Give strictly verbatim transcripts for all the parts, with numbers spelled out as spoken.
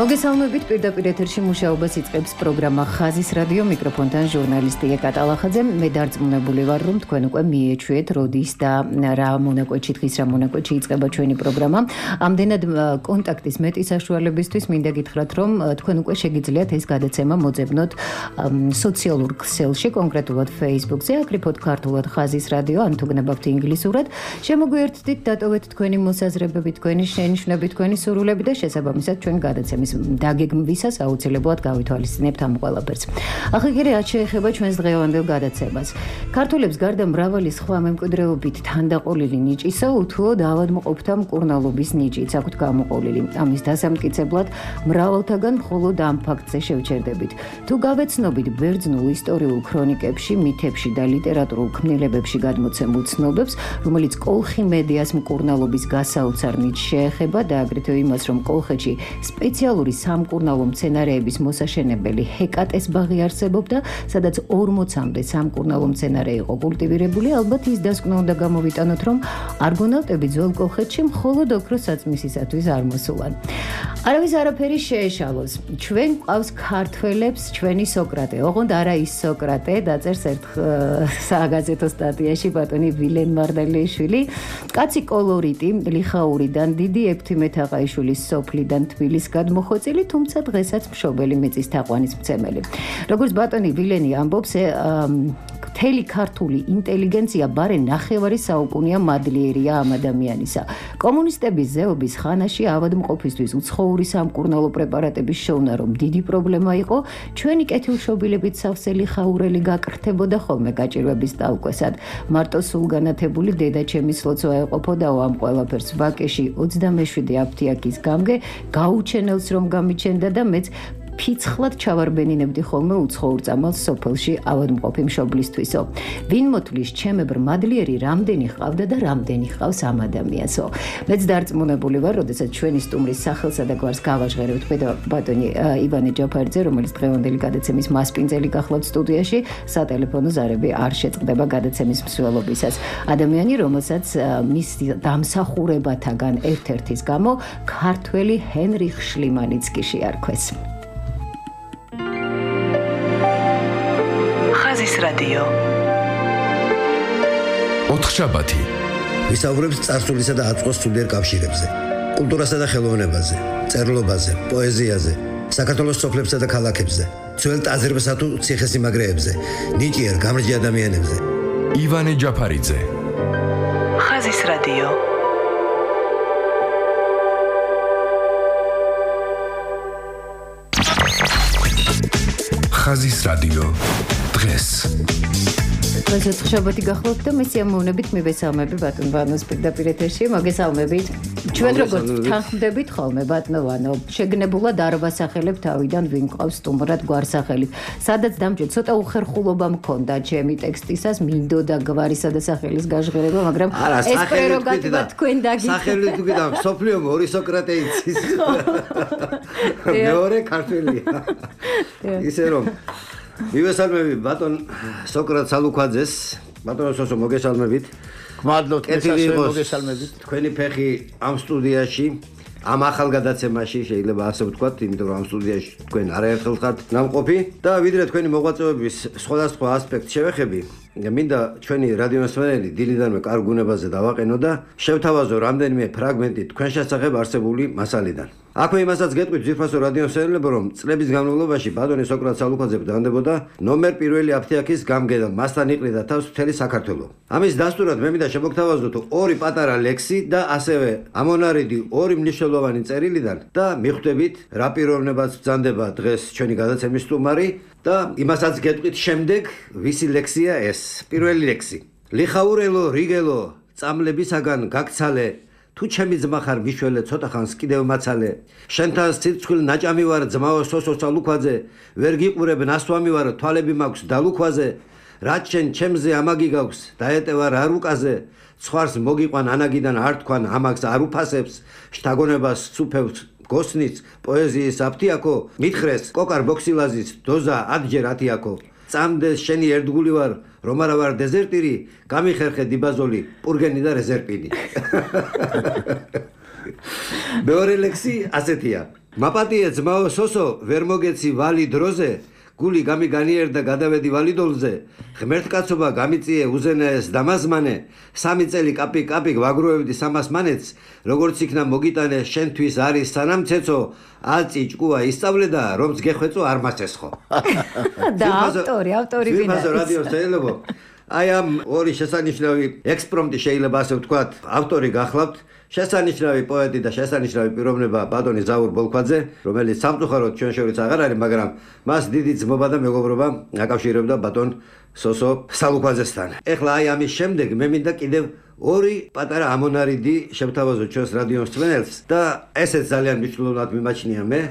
მოგესალმებით, პირდაპირ ეთერში მუშაობას იწყებს პროგრამა ხაზის რადიო, მიკროფონთან ჟურნალისტი ეკატა ლახაძე. მე დარწმუნებული ვარ, რომ თქვენ უკვე მიეჩვიეთ როდის და რა მონაკვეთში დღის რა მონაკვეთში იწყება ჩვენი პროგრამა. ამდენად კონტაქტის მეტი საშუალებისთვის მინდა გითხრათ, რომ თქვენ უკვე შეგიძლიათ ეს გადაცემა მოძებნოთ სოციალურ ქსელში, კონკრეტულად Facebook-ზე, აკრიფოთ ქართულად ხაზის რადიო, ან თუ გნებავთ ინგლისურად. შემოგვიერთდით, დატოვეთ თქვენი მოსაზრებები, თქვენი შენიშვნები, თქვენი სურვილები და შესაბამისად ჩვენ გადაცემის დაგეგმვისას აუცილებლად გავითვალისწინებთ ამ ყველაფერს. ახლა კი რაც შეეხება ჩვენს დღევანდელ გადაცემას. ქართველებს გარდა მრავალი სხვა მემკვიდრეობით თანდაყოლილი ნიჭისა, უთუოდ ავადმყოფთა მკურნალობის ნიჭიც აქვთ გამოყოლილი. ამის დასამტკიცებლად მრავალთაგან მხოლოდ ამ ფაქტზე შევჩერდებით. თუ გავეცნობით ბერძნულ ისტორიულ ქრონიკებში, მითებში და ლიტერატურულ ქმნილებებში გადმოცემულ ცნობებს, რომელიც კოლხი მედიას მკურნალობის გასაოცარ ნიჭს შეეხება და აგრეთვე იმას, რომ კოლხეთში სპეციალური სამკურნალო მცენარეების მოსაშენებელი ჰეკატეს ბაღი არსებობდა, სადაც ორმოცამდე სამკურნალო მცენარე იყო კულტივირებული, ალბათ ის დასკვნა უნდა გამოვიტანოთ, რომ არგონავტები ძველ კოლხეთში მხოლოდ ოქროს საწმისისათვის არ მოსულან. არავის არაფერი შეეშალოს. ჩვენ ყავს ქართველებს ჩვენი სოკრატე. ოღონდ არა ის სოკრატე, დაწერს ერთ საგაზეთო სტატიაში ბატონი ვილენ მარდალიშვილი, კაცი კოლორიტი, ლიხაურიდან, დიდი ეფთიმეთაყაიშვილის სოფლიდან თბილის გადმოხოცილი, თუმცა დღესაც მშობელი მიწის თაყვანის მცემელი. როგორც ბატონი ვილენი ამბობს, მთელი ქართული ინტელიგენცია ბარე ნახევარი საუკუნეა მადლიერია ამ ადამიანისა. კომუნისტების ზეობის ხანაში ავადმყოფისთვის უცხოური სამკურნალო პრეპარატების შოვნა რომ დიდი პრობლემა იყო, ჩვენი კეთილშობილებით სავსე ლიხაურელი გაკრთებოდა ხოლმე გაჭირვების ტალკვესად. მარტო სულგანათებული დედაჩემის ლოცვა ეყოფოდაო ამ ყველაფერს ვაკეში ოცდამეშვიდე აფთიაქის გამგე გაუჩენელს რომ გამიჩენდა და მეც ფიცხლად ჩავარბენინებდი ხოლმე უცხოურ წამალს სოფელში ავადმყოფი მშობლისთვისო. ვინ მოთვლის ჩემებრ მადლიერი რამდენი ჰყავდა და რამდენი ჰყავს ამ ადამიანსო. მეც დარწმუნებული ვარ, როდესაც ჩვენი სტუმრის სახელსა და გვარს გავაჟღერებთ ბატონი ივანე ჯაფარიძე, რომელიც დღევანდელი გადაცემის მასპინძელი გახლავთ სტუდიაში, სატელეფონო ზარები არ შეწყდება გადაცემის მსვლელობისას. ადამიანი, რომელსაც მის დამსახურებათაგან ერთ-ერთის გამო ქართველი ჰენრიხ შლიმანიც კი შეარქვეს. ხაზის რადიო. ოთხშაბათი. ვისაუბრებს წარსულისა და აწმყოს სულიერ კავშირებზე, კულტურასა და ხელოვნებაზე, წერლობაზე, პოეზიაზე, საქართველოს სოფლებსა და ქალაქებზე, ძველ ტაძრებსა თუ ციხესიმაგრეებზე, ნიჭიერ გამრჯი ადამიანებზე. ივანე ჯაფარიძე. ხაზის რადიო. ხაზის რადიო. დღეს დღესაც ხშაბათი გახლავთ და მე სიამოვნებით მივესალმები ბატონ ვანოს პირდაპირ ეთერში. მოგესალმებით. ჩვენ როგორც თანხმდებით ხოლმე ბატონო ვანო, შეგნებულად არ ვასახელებ თავიდან ვინ ყავს სტუმრად გვარსახელით. სადაც დამჭირ ცოტა უხერხულობა მქონდა ჩემი ტექსტისას, მინდოდა გვარისა და სახელის გაჟღერება, მაგრამ ეს პრეროგატივა თქვენ დაგიწყეთ. სახელი თუ კიდევ სოფლიო ორი სოკრატე იცის. მეორე ქართველია. ისე რომ მივესალმები ბატონ სოკრატ სალუქვაძეს, ბატონო სოსო მოგესალმებით. გმადლობთ, მოგესალმებით. თქვენი ფეხი ამ სტუდიაში, ამ ახალ გადაცემაში შეიძლება ასე ვთქვათ, იმიტომ რომ ამ სტუდიაში თქვენ არაერთხელ ხართ ნამყოფი და ვიდრე თქვენი მოღვაწეობის სხვადასხვა ასპექტს შევეხები, მინდა ჩვენი რადიოსმენელი დილიდანვე კარგ გუნებაზე დავაყენო და შევთავაზო რამდენიმე ფრაგმენტი თქვენ შესახებ არსებული მასალიდან. აქვე იმასაც გეტყვით ძვირფასო რადიოსმენელებო, რომ წლების განმავლობაში ბატონი სოკრატ სალუქვაძე ბრალდებოდა ნომერ პირველი აფთიაქის გამგე და მასთან იყრიდა თავს მთელი საქართველო. ამის დასტურად მე მინდა შემოგთავაზოთ ორი პატარა ლექსი და ასევე ამონარიდი ორი მნიშვნელოვანი წერილიდან და მიხვდებით რა პიროვნებაც ბრძანდება დღეს ჩვენი გადაცემის სტუმარი და იმასაც გეტყვით შემდეგ ვისი ლექსია ეს. პირველი ლექსი. ლიხაურელო რიგელო წამლებისაგან გაქცალე, თუ ჩემი ძმა ხარ მიშველე ცოტა ხანს კიდევ მაცალე, შენთან სიცხვილ ნაჭამი ვარ ძმაო სოსო სალუქვაძე, ვერ გიყურებ ნასვამი ვარ თვალები მაქვს დალუქვაზე, რაც შენ ჩემზე ამაგი გაქვს დაეტევარ არ უკაზე, ცხვარს მოგიყვან ანაგიდან არ თქვან ამაგს არ უფასებს, შთაგონებას სუფევს გოსნიც პოეზიის აფთიაქო, მითხრეს კოკარ ბოქსილაზის დოზა ათჯერ ათიაქო, წამდეს შენი ერთგული ვარ რომ არა ვარ დეზერტირი, გამიხერხე დიბაზოლი, პურგენი და რეზერპინი. მეორე ლექსი ასეთია. მაპატიე ძმაო სოსო, ვერ მოგეცი ვალი დროზე, გული გამიგანიერდა გადავედი ვალიდოლზე, ღმერთკაცობა გამიწიე უზენაეს დამაზმანე, სამი წელი კაპიკ კაპიკ ვაგროვებდი სამას მანეთს, როგორც იქნა მოგიტანე შენთვის არის სანამცეცო, აწი ჭკუა ისწავლე და რომც გეხვეწო არ მასესხო. და ავტორი, ავტორი ვინ არის? რადიო შეიძლება. აი ამ ორი შესანიშნავი ექსპრომტი შეიძლება ასე ვთქვათ, ავტორი გახლავთ. შესანიშნავი პოეტი და შესანიშნავი პიროვნება ბატონი ზაურ ბოლქვაძე, რომელიც სამწუხაროდ ჩვენ შორის აღარ არის, მაგრამ მას დიდი ძმობა და მეგობრობა აკავშირებდა ბატონ სოსო სალუქვაძესთან. ეხლა აი ამის შემდეგ მე მინდა კიდევ ორი პატარა ამონარიდი შევთავაზო ჩვენს რადიო მსმენელს და ესეც ძალიან მნიშვნელოვნად მიმაჩნია მე,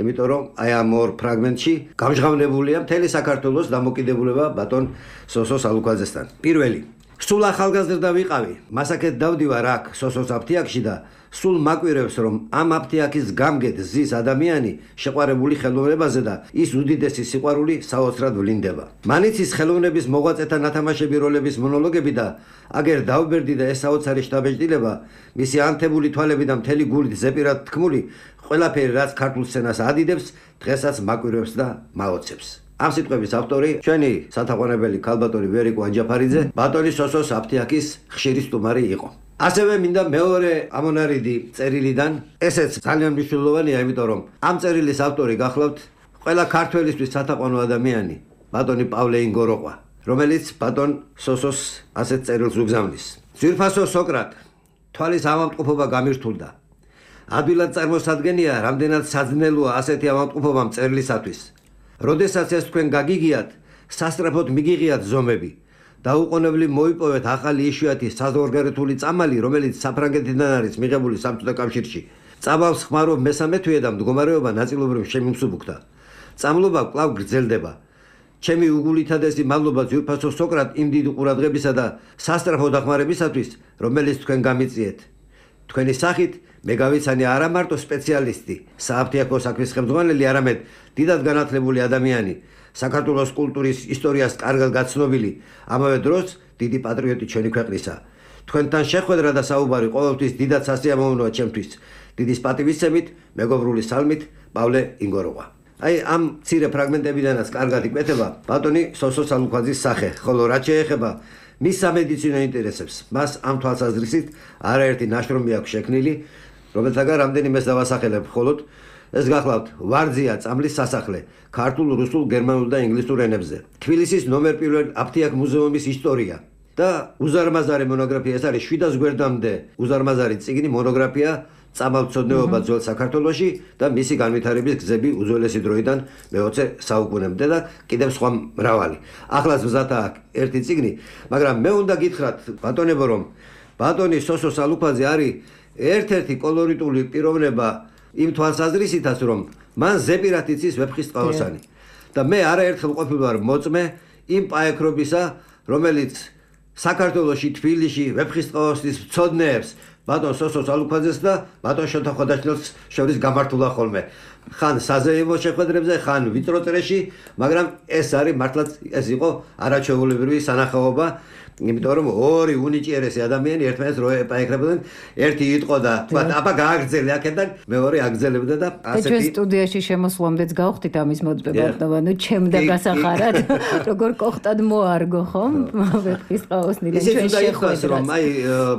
იმიტომ რომ აი ამ ორ ფრაგმენტში გამჟღავნებულია მთელი საქართველოს დამოკიდებულება ბატონ სოსო სალუქვაძესთან. პირველი სულ ახალგაზრდა ვიყავი, მასაკეთ დავდივარ აქ სოსოს აფთიაქში და სულ მაკვირებს რომ ამ აფთიაქის გამგედ ზის ადამიანი შეყვარებული ხელოვნებაზე და ის უდიდესი სიყვარული საოცრად ვლინდება. მანიცის ხელოვნების მოღვაწეთა ნათამაშები როლების მონოლოგები და აგერ დავბერდი და ეს საოცარი შთაბეჭდილება, მისი ანთებული თვალები და მთელი გულით ზეპირად თქმული, ყველაფერი რაც ქართულ სცენას ადიდებს, დღესაც მაკვირებს და მაოცებს. ამ სიტყვების ავტორი ჩვენი სათაყვანებელი ქალბატონი ვერიკო ანჯაფარიძე, ბატონი სოსოს აფთიაქის ხშირი სტუმარი იყო. ასევე მინდა მეორე ამონარიდი წერილიდან, ესეც ძალიან მნიშვნელოვანია, იმიტომ რომ ამ წერილის ავტორი გახლავთ ყველა ქართველისთვის სათაყვანო ადამიანი, ბატონი პავლე ინგოროყვა, რომელიც ბატონ სოსოს ასეთ წერილს უგზავნის. ძვირფასო სოკრატ, თვალის ავადმყოფობა გამირთულდა. ადვილად წარმოსადგენია, რამდენად საძნელოა ასეთი ავადმყოფობა წერილისათვის. როდესაც ეს თქვენ გაგიგიათ, სასწრაფოდ მიგიღიათ ზომები. დაუყოვნებლივ მოიპოვეთ ახალი იშვიათი საზღვარგარეთული წამალი, რომელიც საფრანგეთიდან არის მიღებული სამწუხარო კავშირში. წამალს ხმარობ მესამე თვე და მდგომარეობა ნაწილობრივ შემიმსუბუქდა. წამლობა კვლავ გრძელდება. ჩემი უგულითადესი მადლობა ძვირფასო სოკრატ იმ დიდი ყურადღებისა და სასწრაფო დახმარებისათვის, რომელიც თქვენ გამიწიეთ. თქვენი სახით მე გავიცანი არა მარტო სპეციალისტი, სააფთიაქო საქმის ხელმძღვანელი, არამედ დიდად განათლებული ადამიანი, საქართველოს კულტურის ისტორიას კარგად გაცნობილი, ამავე დროს დიდი პატრიოტი ჩვენი ქვეყნისა. თქვენთან შეხვედრა და საუბარი ყოველთვის დიდად სასიამოვნოა ჩემთვის. დიდის პატივისცემით, მეგობრული სალმით, პავლე ინგოროყვა. აი ამ მცირე ფრაგმენტებიდანაც კარგად იკვეთება ბატონი სოსო სალუქვაძის სახე, ხოლო რაც შეეხება მის სამედიცინო ინტერესებს, მას ამ თვალსაზრისით არაერთი ნაშრომი აქვს შექმნილი, რომელთაგან რამდენიმეს დავასახელებ, მხოლოდ ეს გახლავთ ვარძია წამლის სასახლე, ქართულ, რუსულ, გერმანულ და ინგლისურ ენებზე. თბილისის ნომერ პირველ აფთიაქ მუზეუმის ისტორია და უზარმაზარი მონოგრაფია, ეს არის შვიდას გვერდამდე უზარმაზარი წიგნი, მონოგრაფია წამალმცოდნეობა ძველ საქართველოში და მისი განვითარების გზები უძველესი დროიდან მეოცე საუკუნემდე და კიდევ სხვა მრავალი. ახლაც მზადა ერთი წიგნი, მაგრამ მე უნდა გითხრათ ბატონებო, რომ ბატონი სოსო სალუქვაძე არის ერთ-ერთი კოლორიტული პიროვნება იმ თვალსაზრისითაც, რომ მან ზეპირად იცის ვეფხისტყაოსანი. და მე არაერთხელ ყოფილი ვარ მოწმე იმ პაექრობისა, რომელიც საქართველოში, თბილისში ვეფხისტყაოსნის მცოდნეებს ბატონ სოსო სალუქვაძეს და ბატონ შოთა ხვადაშვილს შორის გამართულა ხოლმე. ხან საზეიმო შეხვედრებზე, ხან ვიწრო წრეში, მაგრამ ეს არის მართლაც ეს იყო არაჩვეულებრივი სანახაობა, იმიტომ რომ ორი უნიჭიერესი ადამიანი ერთმანეთს რო ეპაექრებოდნენ, ერთი იტყო და თქვა, აბა გააგრძელე აქედან, მეორე აგრძელებდა და ასეთი. ჩვენ სტუდიაში შემოსვლამდეც გავხდით ამის მოწმება, ნუ ჩემდა გასახარად, როგორ კოხტად მოარგო, ხომ? ვეფხისტყაოსნიდან ჩვენ შეხვედრას. რომ აი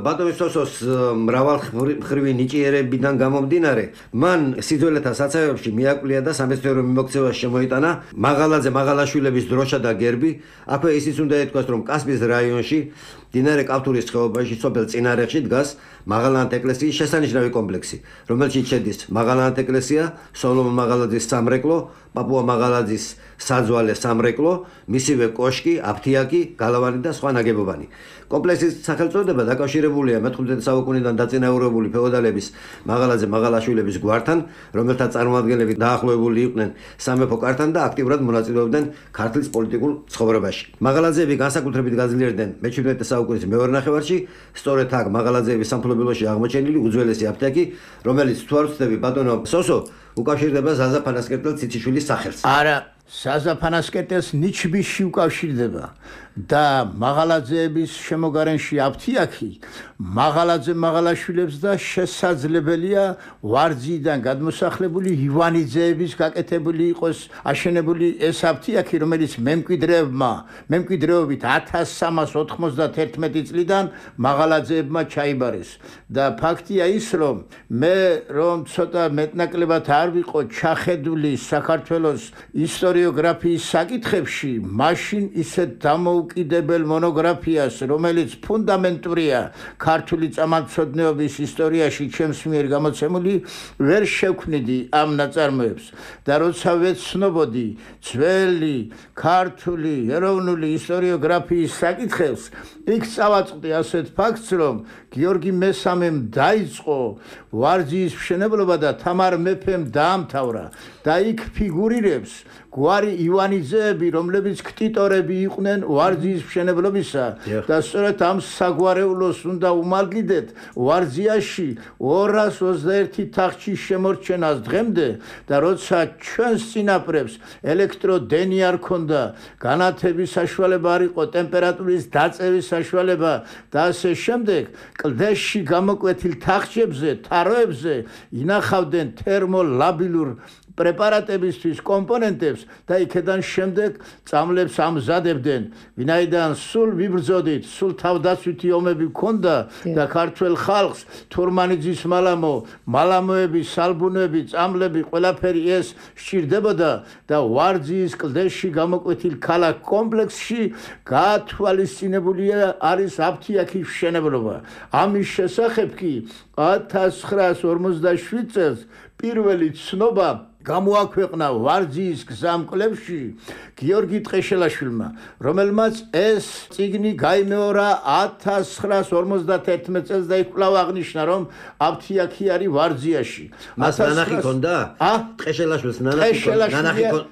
ბატონ სოსოს მრავალმხრივი ნიჭიერებიდან გამომდინარე, მან სიძველეთა საცავებში მიაკვლია და სამეცნიერო მიმოქცევაში შემოიტანა მაღალაძე მაღალაშვილების დროშა და გერბი. აქვე ისიც უნდა ითქვას, რომ კასპიის რაიონში დინარე კავთურის ხეობაში, სოფელ წინარეხში დგას მაღალანთ ეკლესიის შესანიშნავი კომპლექსი, რომელშიც შედის მაღალანთ ეკლესია, სოლომონ მაღალაძის სამრეკლო, პაპუა მაღალაძის საძვალე სამრეკლო, მისივე კოშკი, აფთიაკი, გალავანი და სხვა ნაგებობანი. კომპლექსის სახელწოდება დაკავშირებულია მეთხმეტე საუკუნიდან დაწინაურებული ფეოდალების მაღალაძე მაღალაშვილების გვართან, რომელთა წარმომადგენლები დაახლოებული იყვნენ სამეფო კართან და აქტიურად მონაწილეობდნენ ქართლის პოლიტიკურ ცხოვრებაში. მაღალაძეები განსაკუთრებით გაძლიერდნენ მეჩვიდმეტე საუკუნის მეორე ნახევარში, სწორედ აქ მაღალაძეების სამფლობელოში აღმოჩენილი უძველესი აფთიაკი, რომელიც თუ არ ვცდები ბატონო სოსო უკავშირდება ზაზა ფანასკერტელ ციციშვილის სახელს. არა, საზაფანასკერტეს ნიჩბისში უკავშირდება და მაღალაძეების შემოგარენში აფთიაქი მაღალაძე მაღალაშვილებს და შესაძლებელია ვარძიდან გადმოსახლებული ივანიძეების გაკეთებული იყოს აშენებული ეს აფთიაქი, რომელიც მემკვიდრეებმა მემკვიდრეობით ათას სამას ოთხმოცდათერთმეტი წლიდან მაღალაძეებმა ჩაიბარეს და ფაქტია ის რომ მე რომ ცოტა მეტნაკლებად არ ვიყო ჩახედული საქართველოს ისტორიოგრაფიის საკითხებში, მაშინ ისეთ დამოუკიდებელ მონოგრაფიას, რომელიც ფუნდამენტურია ქართული წამალცოდნეობის ისტორიაში ჩემს მიერ გამოცემული, ვერ შევქმნიდი ამ ნაწარმოებს და როცა ვეცნობოდი ძველი ქართული ეროვნული ისტორიოგრაფიის საკითხებს, იქ წავაწყდი ასეთ ფაქტს, რომ გიორგი მესამემ დაიწყო ვარძიის მშენებლობა და თამარ მეფემ დაამთავრა და იქ ფიგურირებს გვარი ივანიძეები, რომლებიც ქტიტორები იყვნენ ვარძიის მშენებლობისა და სწორედ ამ საგვარეულოს უნდა უმალგიდეთ ვარძიაში ორას ოცდაერთი თახჩის შემორჩენას დღემდე და როცა ჩვენს წინაპრებს ელექტროდენი არ ქონდა, განათების საშუალება არ იყო, ტემპერატურის დაწევის საშუალება და ასე შემდეგ, კლდეში გამოკვეთილ თახჩებზე, თაროებზე ინახავდნენ თერმოლაბილურ პრეპარატებისთვის კომპონენტებს და იქედან შემდეგ წამლებს ამზადებდნენ, ვინაიდან სულ ვიბრძოდით, სულ თავდაცვითი ომები ჰქონდა და ქართველ ხალხს თურმანიძის მალამო, მალამოები, სალბუნები, წამლები, ყველაფერი ეს სჭირდებოდა და ვარძიის კლდეში გამოკვეთილ ქალაქ კომპლექსში გათვალისწინებულია არის აფთიაქის მშენებლობა. ამის შესახებ კი ათას ცხრაას ორმოცდაშვიდ წელს პირველი ცნობა გამოაქვეყნა ვარძიის გზამკვლევში გიორგი ტყეშელაშვილმა, რომელმაც ეს წიგნი გაიმეორა ათას ცხრაას ორმოცდათერთმეტ წელს და იქ კვლავ აღნიშნა, რომ აფთიაქი არის ვარძიაში. მას ნანახი ჰქონდა? ტყეშელაშვილს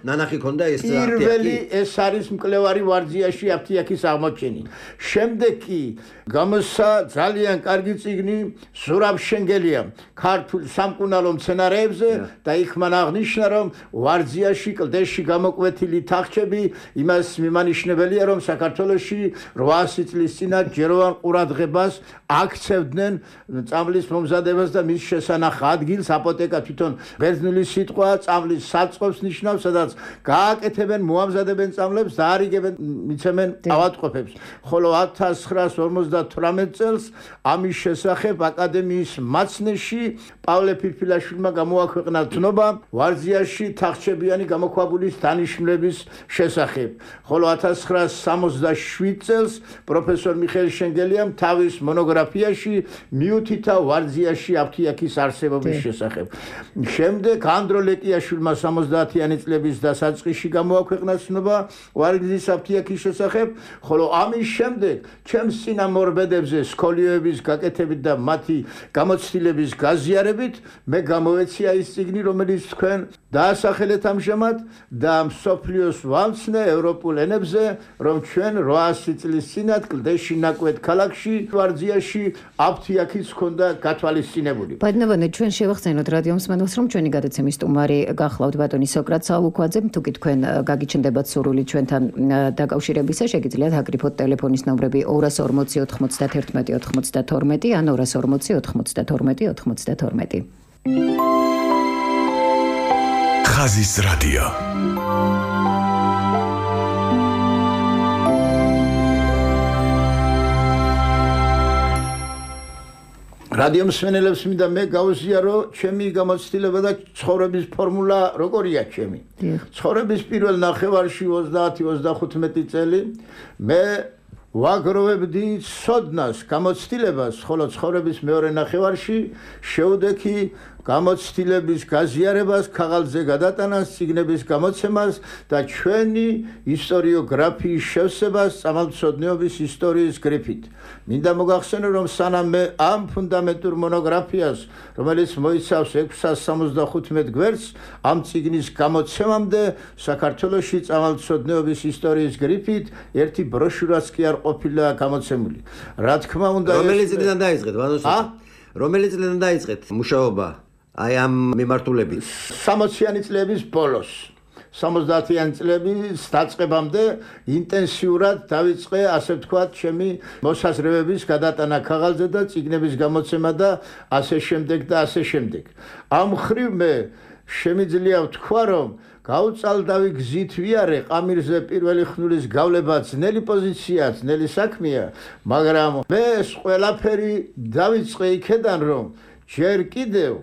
ნანახი ჰქონდა ეს პირველი ეს არის მკვლევარი ვარძიაში აფთიაქის აღმოჩენი. შემდეგ კი გამოსცა ძალიან კარგი წიგნი ზურაბ შენგელიამ ქართულ სამკურნალო მცენარეებზე და იქ მან აღნიშნა, რომ ვარძიაში კლდეში გამოკვეთილი თახჩები იმას მიმანიშნებელია, რომ საქართველოში რვაასი წლის წინათ ჯეროვან ყურადღებას აქცევდნენ წამლის მომზადებას და მის შესანახ ადგილს. აპოტეკა თვითონ ბერძნული სიტყვა წამლის საწყობს ნიშნავს, სადაც გააკეთებენ, მოამზადებენ წამლებს და არიგებენ, მიცემენ ავადმყოფებს. ხოლო ათას ცხრაას ორმოცდათვრამეტ წელს ამის შესახებ აკადემიის მაცნეში პავლე ფირფილაშვილმა გამოაქვეყნა ცნობა ვარძიაში თახჩებიანი გამოქვაბულის დანიშნულების შესახებ. ხოლო ათას ცხრაას სამოცდაშვიდ წელს პროფესორ მიხეილ შენგელიამ თავის მონოგრაფიაში მიუთითა ვარძიაში აფთიაქის არსებობის შესახებ. შემდეგ ანდრო ლეკიაშვილმა სამოცდაათიანი წლების დასაწყისში გამოაქვეყნა ცნობა ვარძიის აფთიაქის შესახებ, ხოლო ამის შემდეგ ჩემს წინამორბედებზე სკოლიოების გაკეთებით და მათი გამოცდილების გაზიარებით მე გამოვეცია ის წიგნი, რომელიც თქვენ დაასახელეთ ამჟამად და მსოფლიოს ვამცნე ევროპულ ენებზე, რომ ჩვენ რვაასი წლის წინათ კლდეში ნაკვეთ ქალაქში ვარძიაში აფთიაქის ჰქონდა გათვალისწინებული. ბატონო, ჩვენ შევახსენოთ რადიო მსმენელს, რომ ჩვენი გადაცემის სტუმარი გახლავთ ბატონი სოკრატ სალუქვაძე. თუ კი თქვენ გაგიჩნდებათ სურვილი ჩვენთან დაკავშირებისა, შეგიძლიათ აკრიფოთ ტელეფონის ნომრები ორას ორმოცი ოთხმოცდათერთმეტი ოცდათორმეტი ან ორას ორმოცი ოთხმოცდათორმეტი ოცდათორმეტი. ხაზის რადიო. რადიო მსმენელებს მინდა მე გავუზიარო ჩემი გამოცდილება და ცხოვრების ფორმულა როგორია ჩემი. ცხოვრების პირველ ნახევარში ოცდაათი ოცდახუთმეტი წელი მე ვაგროვებდი სოდნას გამოცდილებას, ხოლო ცხოვრების მეორე ნახევარში შევდექი გამოცდილების გაზიარებას, ქაღალდზე გადატანას, წიგნების გამოცემას და ჩვენი ისტორიოგრაფიის შევსებას წამალცოდნეობის ისტორიის გრიფით. მინდა მოგახსენო, რომ სანამ მე ამ ფუნდამენტურ მონოგრაფიას, რომელიც მოიცავს ექვსას სამოცდახუთმეტ გვერდს, ამ წიგნის გამოცემამდე საქართველოში წამალცოდნეობის ისტორიის გრიფით ერთი ბროშურაც კი არ ყოფილა გამოცემული. რა თქმა უნდა, რომელი წლიდან დაიწყეთ, ბატონო? რომელი წლიდან დაიწყეთ მუშაობა? აი ამ მიმართულებით სამოციანი წლების ბოლოს სამოცდაათიანი წლების დაწყებამდე ინტენსიურად დავიწყე, ასე ვთქვათ, ჩემი მოსაზრებების გადატანა ქაღალდზე და წიგნების გამოცემა და ასე შემდეგ და ასე შემდეგ. ამ მხრივ მე შემიძლია ვთქვა, რომ გავწალდავი გზით ვიარე ყამირზე პირველი ხნურის გავლება ძნელი პოზიცია, ძნელი საქმეა, მაგრამ მე ეს ყველაფერი დავიწყე იქედან, რომ ჯერ კიდევ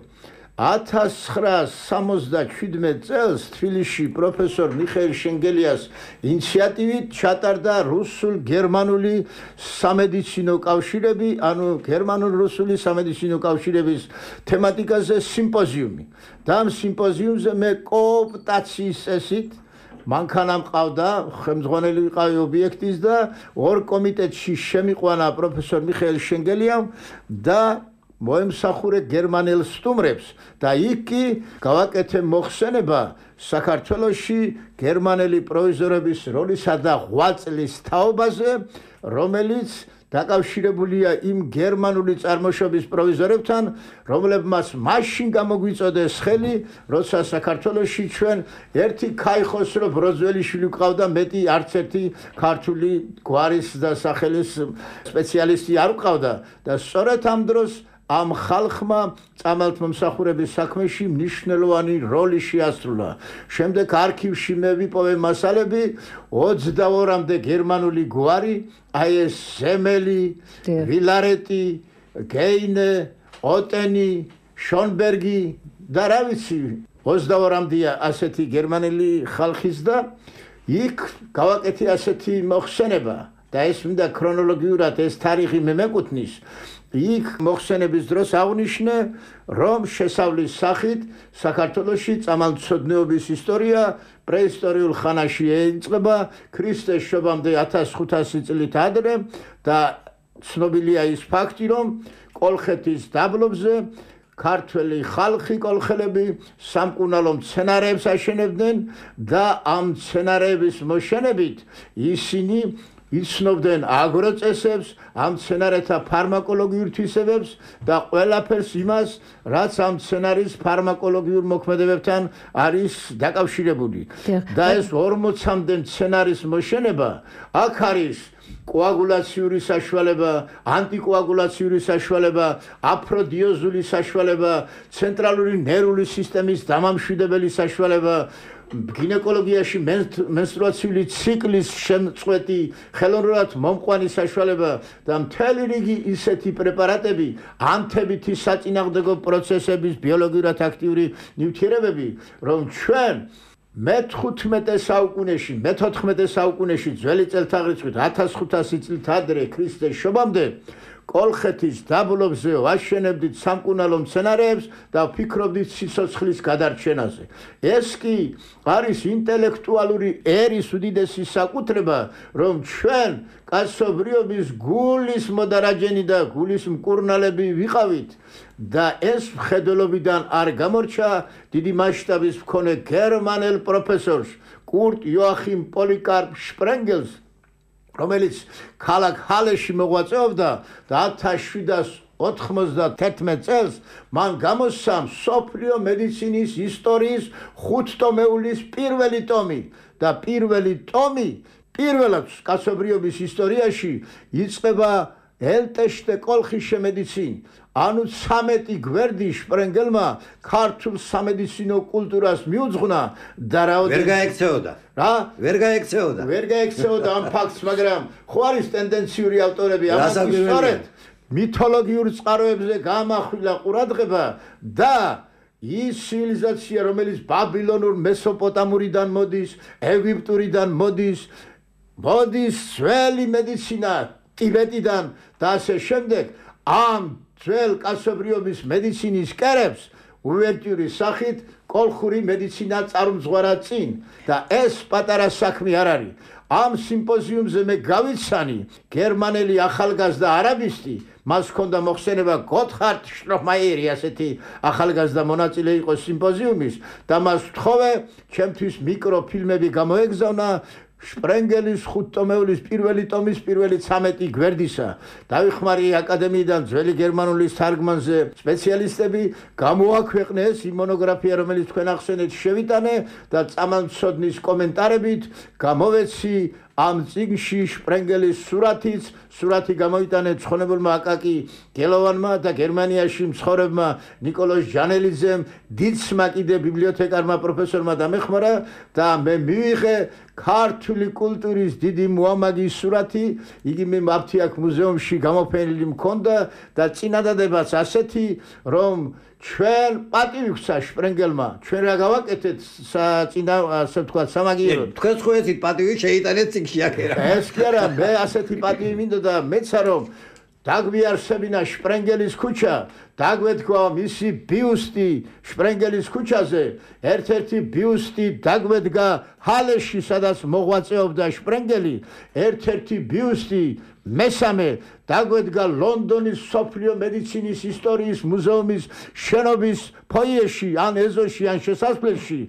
ათას ცხრაას სამოცდაშვიდმეტ წელს თბილისში პროფესორ მიხეილ შენგელიას ინიციატივით ჩატარდა რუსულ-გერმანული სამედიცინო კავშირები, ანუ გერმანულ-რუსული სამედიცინო კავშირების თემატიკაზე სიმპოზიუმი. და ამ სიმპოზიუმზე მე კოოპტაციის წესით მანქანა მყავდა, ხელმძღვანელი ვიყავი ობიექტის და ორ კომიტეტში შემიყვანა პროფესორ მიხეილ შენგელიამ და მოემსახურე გერმანელ სტუმრებს და იქ კი გავაკეთე მოხსენება საქართველოში გერმანელი პროვიზორების როლისა და ღვაწლის თაობაზე, რომელიც დაკავშირებულია იმ გერმანული წარმოშობის პროვიზორებთან, რომლებმაც მაშინ გამოგვიწოდეს ხელი, როცა საქართველოში ჩვენ ერთი ქაიხოსრო ბროძველიშვილი ვყავდა, მეტი არც ერთი ქართული გვარის და სახელის სპეციალისტი არ ვყავდა და სწორედ ამ დროს ამ ხალხმა წამალთმომსახურების საქმეში მნიშვნელოვანი როლი შეასრულა. შემდეგ არქივში მე ვიპოვე მასალები ოცდაორმდე გერმანული გვარი, აი ეს ზემელი, ვილარეტი, გეინე, ოტენი, შონბერგი და რა ვიცი, ოცდაორმდეა ასეთი გერმანელი ხალხის და იქ გავაკეთე ასეთი მოხსენება და ეს მინდა ქრონოლოგიურად ეს თარიღი მე მეკუთვნის. იქ მოხსენების დროს აღნიშნე, რომ შესავლის სახით საქართველოში წამალმცოდნეობის ისტორია პრეისტორიულ ხანაში ეიწყება ქრისტეს შობამდე ათას ხუთასი წლით ადრე და ცნობილია ის ფაქტი, რომ კოლხეთის დაბლობზე ქართველი ხალხი კოლხელები სამკურნალო მცენარეებს აშენებდნენ და ამ მცენარეების მოშენებით ისინი იცნობდნენ აგროწესებს, ამ მცენარეთა ფარმაკოლოგიურ თვისებებს და ყველაფერს იმას, რაც ამ მცენარის ფარმაკოლოგიურ მოქმედებებთან არის დაკავშირებული. და ეს ორმოცამდე მცენარის მოშენება აქ არის კოაგულაციური საშუალება, ანტიკოაგულაციური საშუალება, აფროდიოზული საშუალება, ცენტრალური ნერვული სისტემის დამამშვიდებელი საშუალება, გინეკოლოგიაში მენსტრუაციული ციკლის შემწყვეტი, ხელოვნურად მომყვანი საშუალება და მთელი რიგი ისეთი პრეპარატები, ანთებითი საწინააღმდეგო პროცესების ბიოლოგიურად აქტიური ნივთიერებები, რომ ჩვენ მეთოთხმეტე საუკუნეში, მეთოთხმეტე საუკუნეში ძველი წელთაღრიცხვით ათას ხუთასი წლით ადრე ქრისტეს შობამდე კოლხეთის დაბლობზე ვაშენებდით სამკურნალო მცენარეებს და ვფიქრობდით სიცოცხლის გადარჩენაზე. ეს კი არის ინტელექტუალური ერის უდიდესი საკუთრება, რომ ჩვენ კაცობრიობის გულის მოდარაჯენი და გულის მკურნალები ვიყავით და ეს მხედველობიდან არ გამორჩა დიდი მასშტაბის მქონე გერმანელ პროფესორს კურტ იოახიმ პოლიკარპ შპრენგელს, რომელიც ქალაქ ჰალეში მოღვაწეობდა და ათას შვიდას ოთხმოცდათერთმეტ წელს მან გამოსცა მსოფლიო მედიცინის ისტორიის ხუთტომეულის პირველი ტომი და პირველი ტომი პირველად კაცობრიობის ისტორიაში იწყება ელტეშტე კოლხის შემედიცინ. ანუ ცამეტი გვერდი შპრენგელმა ქართულ სამედიცინო კულტურას მიუძღვნა და რაოდენობით ვერ გაექცეოდა. რა? ვერ გაექცეოდა. ვერ გაექცეოდა ამ ფაქტს, მაგრამ ხო არის ტენდენციური ავტორები ამას ისტორიად მითოლოგიურ წყაროებზე გამახვილა ყურადღება და ის ცივილიზაცია, რომელიც ბაბილონურ მესოპოტამურიდან მოდის, ეგვიპტურიდან მოდის, მოდის ძველი მედიცინა ტიბეტიდან და ასე შემდეგ, ამ ძველ კაცობრიობის მედიცინის კერებს უვერტიურის სახით კოლხური მედიცინა წარუმძღვარა წინ და ეს პატარა საქმე არ არის. ამ სიმპოზიუმზე მე გავიცანი გერმანელი ახალგაზრდა არაბისტი, მას ჰქონდა მოხსენება გოთჰარდ შტროფმაიერი, ასეთი ახალგაზრდა მონაწილე იყო სიმპოზიუმის და მას ვთხოვე ჩემთვის მიკროფილმები გამოეგზავნა შპრენგელის ხუთტომეულის პირველი ტომის პირველი ცამეტი გვერდისა დავიხმარი აკადემიიდან ძველი გერმანულის თარგმანზე სპეციალისტები გამოაქვეყნეს იმ მონოგრაფია რომელიც თქვენ ახსენეთ შევიტანე და წამალმცოდნის კომენტარებით გამოვეცი ამ წიგნში შპრენგელის სურათიც სურათი გამოიტანე ცხონებულმა აკაკი გელოვანმა და გერმანიაში მცხოვრებმა ნიკოლოზ ჟანელიძემ დიდსმა კიდე ბიბლიოთეკარმა პროფესორმა დამეხმარა და მე მივიღე ქართული კულტურის დიდი მოამაგის სურათი იგი მე აფთიაქ მუზეუმში გამოფენილი მქონდა და წინადადებაც ასეთი რომ ჩვენ პატივი გვცა შპრენგელმა ჩვენ რა გავაკეთეთ წინა ასე ვთქვათ სამაგიეროდ თქვენ ხო ეცით პატივი შეიტანეთ წიგნში აქერა ეს კი არა მე ასეთი პატივი მინდოდა და მეცა რომ დაგვიარსებინა შპრენგელის ქუჩა დაგვეთქვა მისი ბიუსტი შპრენგელის ქუჩაზე ერთ-ერთი ბიუსტი დაგვედგა ჰალეში სადაც მოღვაწეობდა შპრენგელი ერთ-ერთი ბიუსტი მესამე დაგვედგა ლონდონის სოფლიო მედიცინის ისტორიის მუზეუმის შენობის ფოიეში ან ეზოში ან შესასვლელში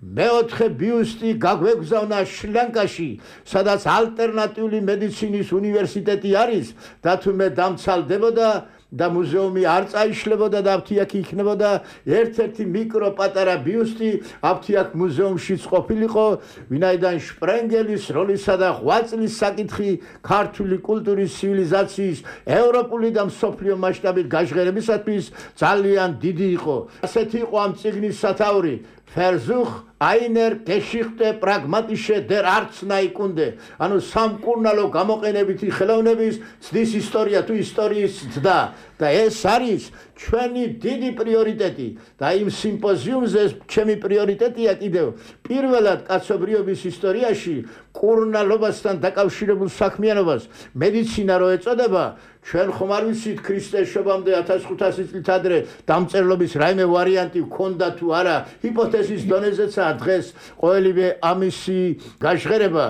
მეოთხე ბიუსტი გაგვეგზავნა შრი-ლანკაში სადაც ალტერნატიული მედიცინის უნივერსიტეტი არის და თუმე დამცალდებოდა და მუზეუმი არ წაიშლებოდა და აფთიაქი იქნებოდა ერთ-ერთი მიკრო პატარა ბიუსტი აფთიაქ მუზეუმშიც ყოფილიყო ვინაიდან შპრენგელის როლისა და ღვაწლის საკითხი ქართული კულტურის ცივილიზაციის ევროპული და მსოფლიო მასშტაბით გაჟღერებისათვის ძალიან დიდი იყო ასეთი იყო ამ წიგნის სათაური Versuch einer Geschichte pragmatische der Arzneikunde. ანუ სამკურნალო გამოყენებითი ხელოვნების ცდის ისტორია თუ ისტორიის ცდა და ეს არის ჩვენი დიდი პრიორიტეტი და იმ სიმპოზიუმზე ჩემი პრიორიტეტია კიდევ პირველად კაცობრიობის ისტორიაში კურნალობასთან დაკავშირებულ საქმიანობას მედიცინა რო ეწოდება ჩვენ ხომ არ ვიცით ქრისტეს შობამდე ათას ხუთასი წლით ადრე დამწერლობის რაიმე ვარიანტი ჰქონდა თუ არა ჰიპოთეზის დონეზეცაა დღეს ყოველივე ამისი გაჟღერება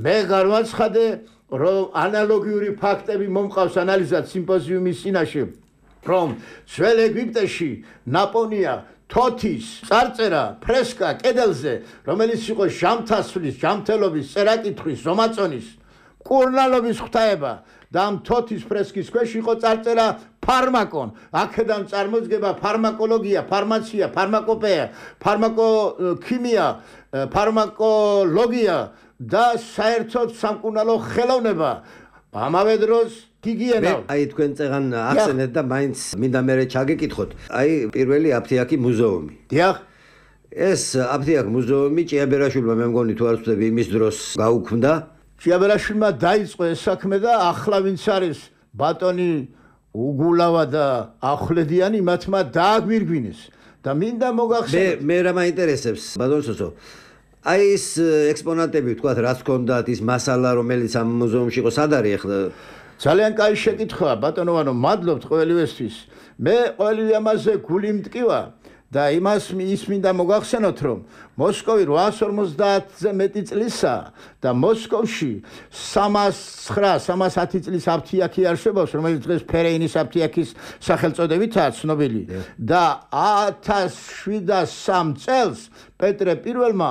მე გამაცხადე რომ ანალოგიური ფაქტები მომყავს ანალიზად სიმპოზიუმის წინაშე რომ ძველ ეგვიპტეში ნაპონია თოთის წარწერა ფრესკა კედელზე რომელიც იყო ჟამთასვლის ჟამთელობის წერაკითხვის ზომაწონის კურნალობის ღვთაება და ამ თოთის ფრესკის ქვეშ იყო წარწერა ფარმაკონ აქედან წარმოდგება ფარმაკოლოგია ფარმაცია ფარმაკოპეა ფარმაკოქიმია ფარმაკოლოგია და საერთოდ სამკურნალო ხელოვნება ამავე დროს გიგიენა აი თქვენ წეგან ახსენეთ და მაინც მინდა მე ჩაგეკითხოთ აი პირველი აფთიაქი მუზეუმი დიახ ეს აფთიაქ მუზეუმი ჭიაბერაშვილმა მე მგონი თუ არ ვცდები იმის დროს გაუქმდა ჭიაბერაშვილმა დაიწყო ეს საქმე და ახლა ვინც არის ბატონი უგულავა და ახვლედიანი მათმა დააგვირგვინეს და მინდა მოგახსენოთ მე მე რა მაინტერესებს ბატონ სოსო აი ეს ექსპონატები თქვათ რაც ჰქონდათ ის მასალა რომელიც ამ მუზეუმში იყო სად არის ახლა ძალიან კაი შეკითხვაა ბატონოვანო მადლობთ ყველივესთვის მე ყველივე ამაზე გული მტკივა და იმას ის მინდა მოგახსენოთ რომ მოსკოვი რვაას ორმოცდაათზე მეტი წლისა და მოსკოვში სამას ცხრა სამას ათი წლის აფთიაქი არსებობს რომელიც დღეს ფერეინის აფთიაქის სახელწოდებითაა ცნობილი და ათას შვიდას სამ წელს პეტრე პირველმა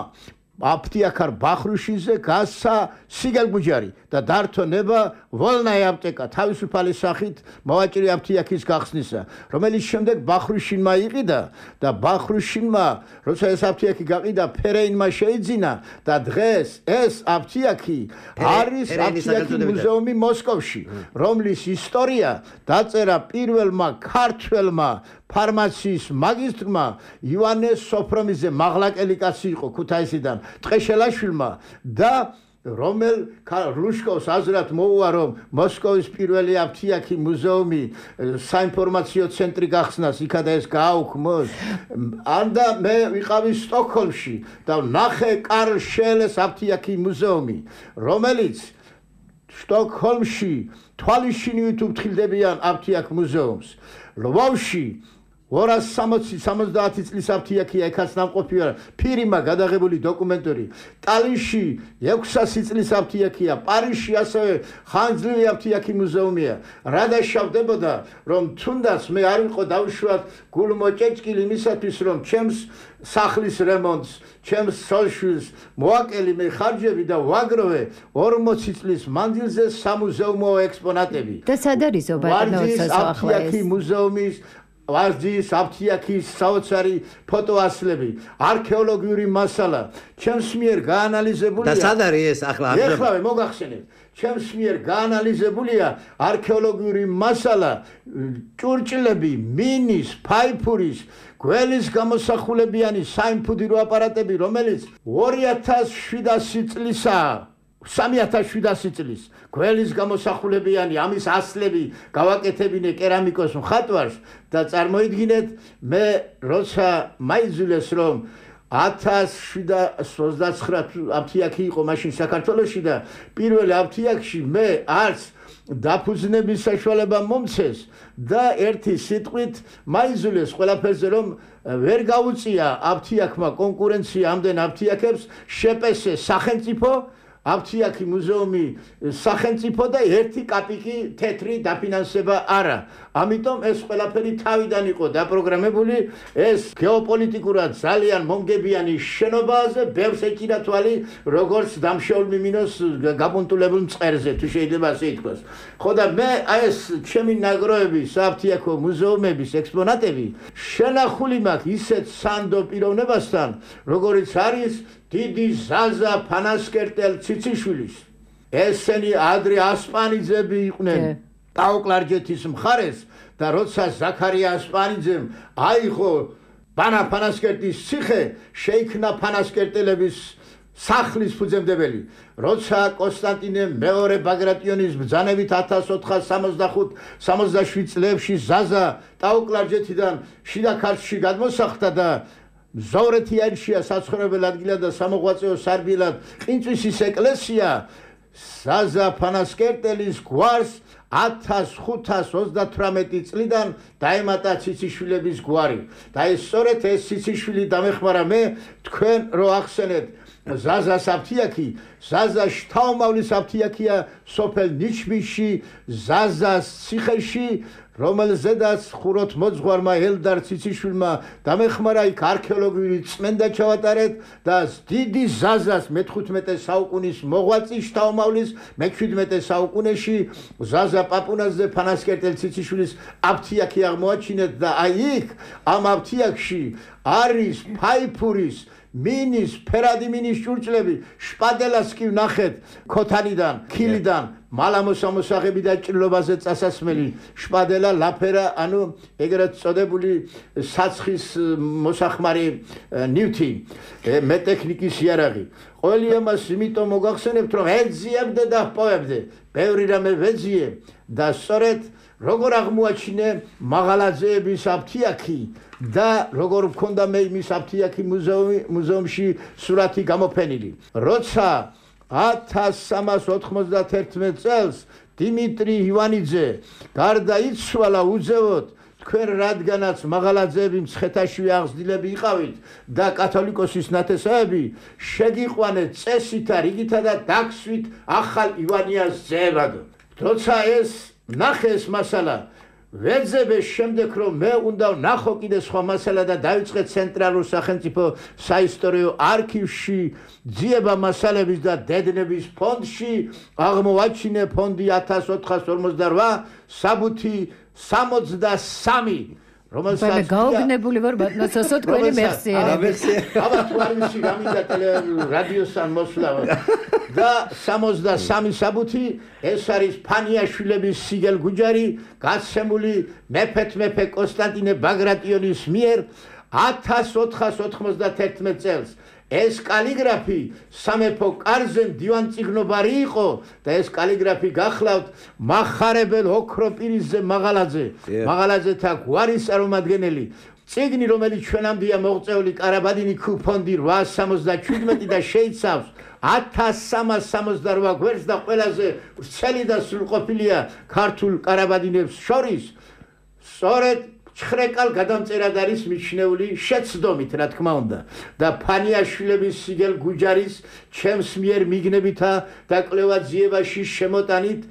აფთიაქარ ბახრუშიძე გასცა სიგელბუჯარი და დართო ნება ვოლნაი აპტეკა თავისუფალი სახით მოვაჭრე აფთიაქის გახსნისა რომელიც შემდეგ ბახრუშინმა იყიდა და ბახრუშინმა როცა ეს აფთიაქი გაყიდა ფერეინმა შეიძინა და დღეს ეს აფთიაქი არის აფთიაქი მუზეუმი მოსკოვში რომლის ისტორია დაწერა პირველმა ქართველმა ფარმაციის მაგისტრმა ივანე სოფრომიძე მაღლაკელი კაცი იყო ქუთაისიდან ტყეშელაშვილმა და რომელ ლუშკოვს აზრად მოუვა რომ მოსკოვის პირველი აფთიაქი მუზეუმი საინფორმაციო ცენტრი გახსნას იქადა ეს გააუქმოს ანდა მე ვიყავი სტოკჰოლმში და ნახე კარლ შეელეს აფთიაქი მუზეუმი რომელიც სტოკჰოლმში თვალიშინივით უფრთხილდებიან აფთიაქ მუზეუმს ლვოვში ორას სამოცი სამოცდაათი წლის აფთიაქია ეხაც ნამყოფი არა ფირიმა გადაღებული დოკუმენტური ტალინში ექვსასი წლის აფთიაქია პარიზში ასევე ხანძლილი აფთიაქი მუზეუმია რა დაშავდებოდა რომ თუნდაც მე არ ვიყო დავუშვათ გულმოჭეჭკილი იმისათვის რომ ჩემს სახლის რემონტს ჩემს სოშვილს მოაკელი მე ხარჯები და ვაგროვე ორმოცი წლის მანძილზე სამუზეუმო ექსპონატები და სად არის ობატნოც ახლა ეს მუზეუმის ვარჯის აფთიაქის საოცარი ფოტოასლები არქეოლოგიური მასალა ჩემს მიერ გაანალიზებულია და სად არის ეს ახლა ეხლა მოგახსენეთ ჩემს მიერ გაანალიზებულია არქეოლოგიური მასალა ჭურჭლები მინის ფაიფურის გველის გამოსახულებიანი საიმფუდირო აპარატები რომელიც ორი ათას შვიდასი წლისაა სამი ათას შვიდასი წლის გველის გამოსახულებიანი ამის ასლები გავაკეთებინე კერამიკოს მხატვარს და წარმოიდგინეთ მე როცა მაიძულეს რომ ათას შვიდასი ოცდაცხრა აფთიაქი იყო მაშინ საქართველოში და პირველი აფთიაქში მე არც დაფუძნების საშუალება მომცეს და ერთი სიტყვით მაიძულეს ყველაფერზე რომ ვერ გაუწია აფთიაქმა კონკურენცია ამდენ აფთიაქებს შეპესე სახელმწიფო აფთიაქი მუზეუმი სახელმწიფო და ერთი კაპიკი თეთრი დაფინანსება არა ამიტომ ეს ყველაფერი თავიდან იყო დაპროგრამებული ეს გეოპოლიტიკურად ძალიან მომგებიანი შენობაზე ბევრს ეჭირა თვალი როგორც დამშეულ მიმინოს გაპონტულებულ მწყერზე თუ შეიძლება ასე ითქვას ხო და მე ეს ჩემი ნაგროვების აფთიაქო მუზეუმების ექსპონატები შენახული მაქვს ისეთ სანდო პიროვნებასთან როგორიც არის დიდი ზაზა ფანასკერტელ ციციშვილის ესენი ადრე ასპანიძები იყვნენ ტაოკლარჯეთის მხარეს და როცა ზაქარია ასპანიძემ აიღო ბანა ფანასკერტის ციხე შეიქმნა ფანასკერტელების სახლის ფუძემდებელი როცა კონსტანტინე მეორე ბაგრატიონის ბრძანებით ათას ოთხას სამოცდახუთ სამოცდაშვიდ წლებში ზაზა ტაოკლარჯეთიდან შიდა ქართლში გადმოსახლდა და მზოვრეთიანშია საცხოვრებელ ადგილად და სამოღვაწეო სარბილად ყინწვისის ეკლესია ზაზა ფანასკერტელის გვარს ათას ხუთას ოცდათვრამეტი წლიდან დაემატა ციციშვილების გვარი და ეს სწორედ ეს ციციშვილი დამეხმარა მე თქვენ რო ახსენეთ ზაზას აფთიაქი ზაზა შთაომავლის აფთიაქია სოფელ ნიჩბიში ზაზას ციხეში რომელზედაც ხუროთ მოძღვარმა ელდარ ციციშვილმა დამეხმარა იქ არქეოლოგიური წმენდა ჩავატარეთ და დიდი ზაზას მეთხუთმეტე საუკუნის მოღვაწი შთაომავლის მეჩვიდმეტე საუკუნეში ზაზა პაპუნაძე ფანასკერტელ ციციშვილის აფთიაქი აღმოაჩინეთ და აი იქ ამ აფთიაქში არის ფაიფურის მინის ფერადი მინის ჭურჭლები შპადელას კი ვნახეთ ქოთანიდან ქილიდან მალამოსამოსაღები და ჭრილობაზე წასასმელი შპადელა ლაფერა ანუ ეგრეთ წოდებული საცხის მოსახმარი ნივთი მეტექნიკის იარაღი ყველი ამას იმიტომ მოგახსენებთ რომ ეძიებდე და პოებდე ბევრი რამე ვეძიე და სწორედ როგორ აღმოაჩინე მაღალაძეების აფთიაქი და როგორ მქონდა მე იმის აფთიაქი მუზეუმში სურათი გამოფენილი როცა ათას სამას ოთხმოცდათერთმეტ წელს დიმიტრი ივანიძე გარდაიცვალა უძევოდ თქვენ რადგანაც მაღალაძეები მცხეთაშვი აღზრდილები იყავით და კათოლიკოსის ნათესავები შეგიყვანეთ წესითა რიგითა და დაგსვით ახალ ივანიას ძეებადო როცა ეს ნახეს მასალა ვეძებეს შემდეგ რომ მე უნდა ვნახო კიდე სხვა მასალა და დავიწყე ცენტრალურ სახელმწიფო საისტორიო არქივში ძიება მასალების და დედნების ფონდში აღმოვაჩინე ფონდი ათას ოთხას ორმოცდარვა საბუთი სამოცდასამი რომელსაც გაოგნებული ვარ ბატონო თქვენი მეხსიერები აბა თუ არ ვიცი გამინდა რადიოსთან მოსვლა და სამოცდასამი საბუთი ეს არის ფანიაშვილების სიგელ გუჯარი გაცემული მეფეთ მეფე კონსტანტინე ბაგრატიონის მიერ ათას ოთხას ოთხმოცდათერთმეტ წელს ეს კალიგრაფი სამეფო კარზე მდივანწიგნობარი იყო და ეს კალიგრაფი გახლავთ მახარებელ ოქროპირისზე მაღალაძე მაღალაძეთა გვარის წარმომადგენელი წიგნი რომელიც ჩვენამდეა მოღწეული კარაბადინი ფონდი რვაას სამოცდაჩვიდმეტი და შეიცავს ათას სამას სამოცდარვა გვერდს და ყველაზე ვრცელი და სრულყოფილია ქართულ კარაბადინებს შორის სწორედ ცხრეკალ გადამწერად არის მიჩნეული შეცდომით, რა თქმა უნდა. და ფანიაშვილების სიგელ გუჯარის ჩემს მიერ მიგნებითა და კვლევაძიებაში შემოტანით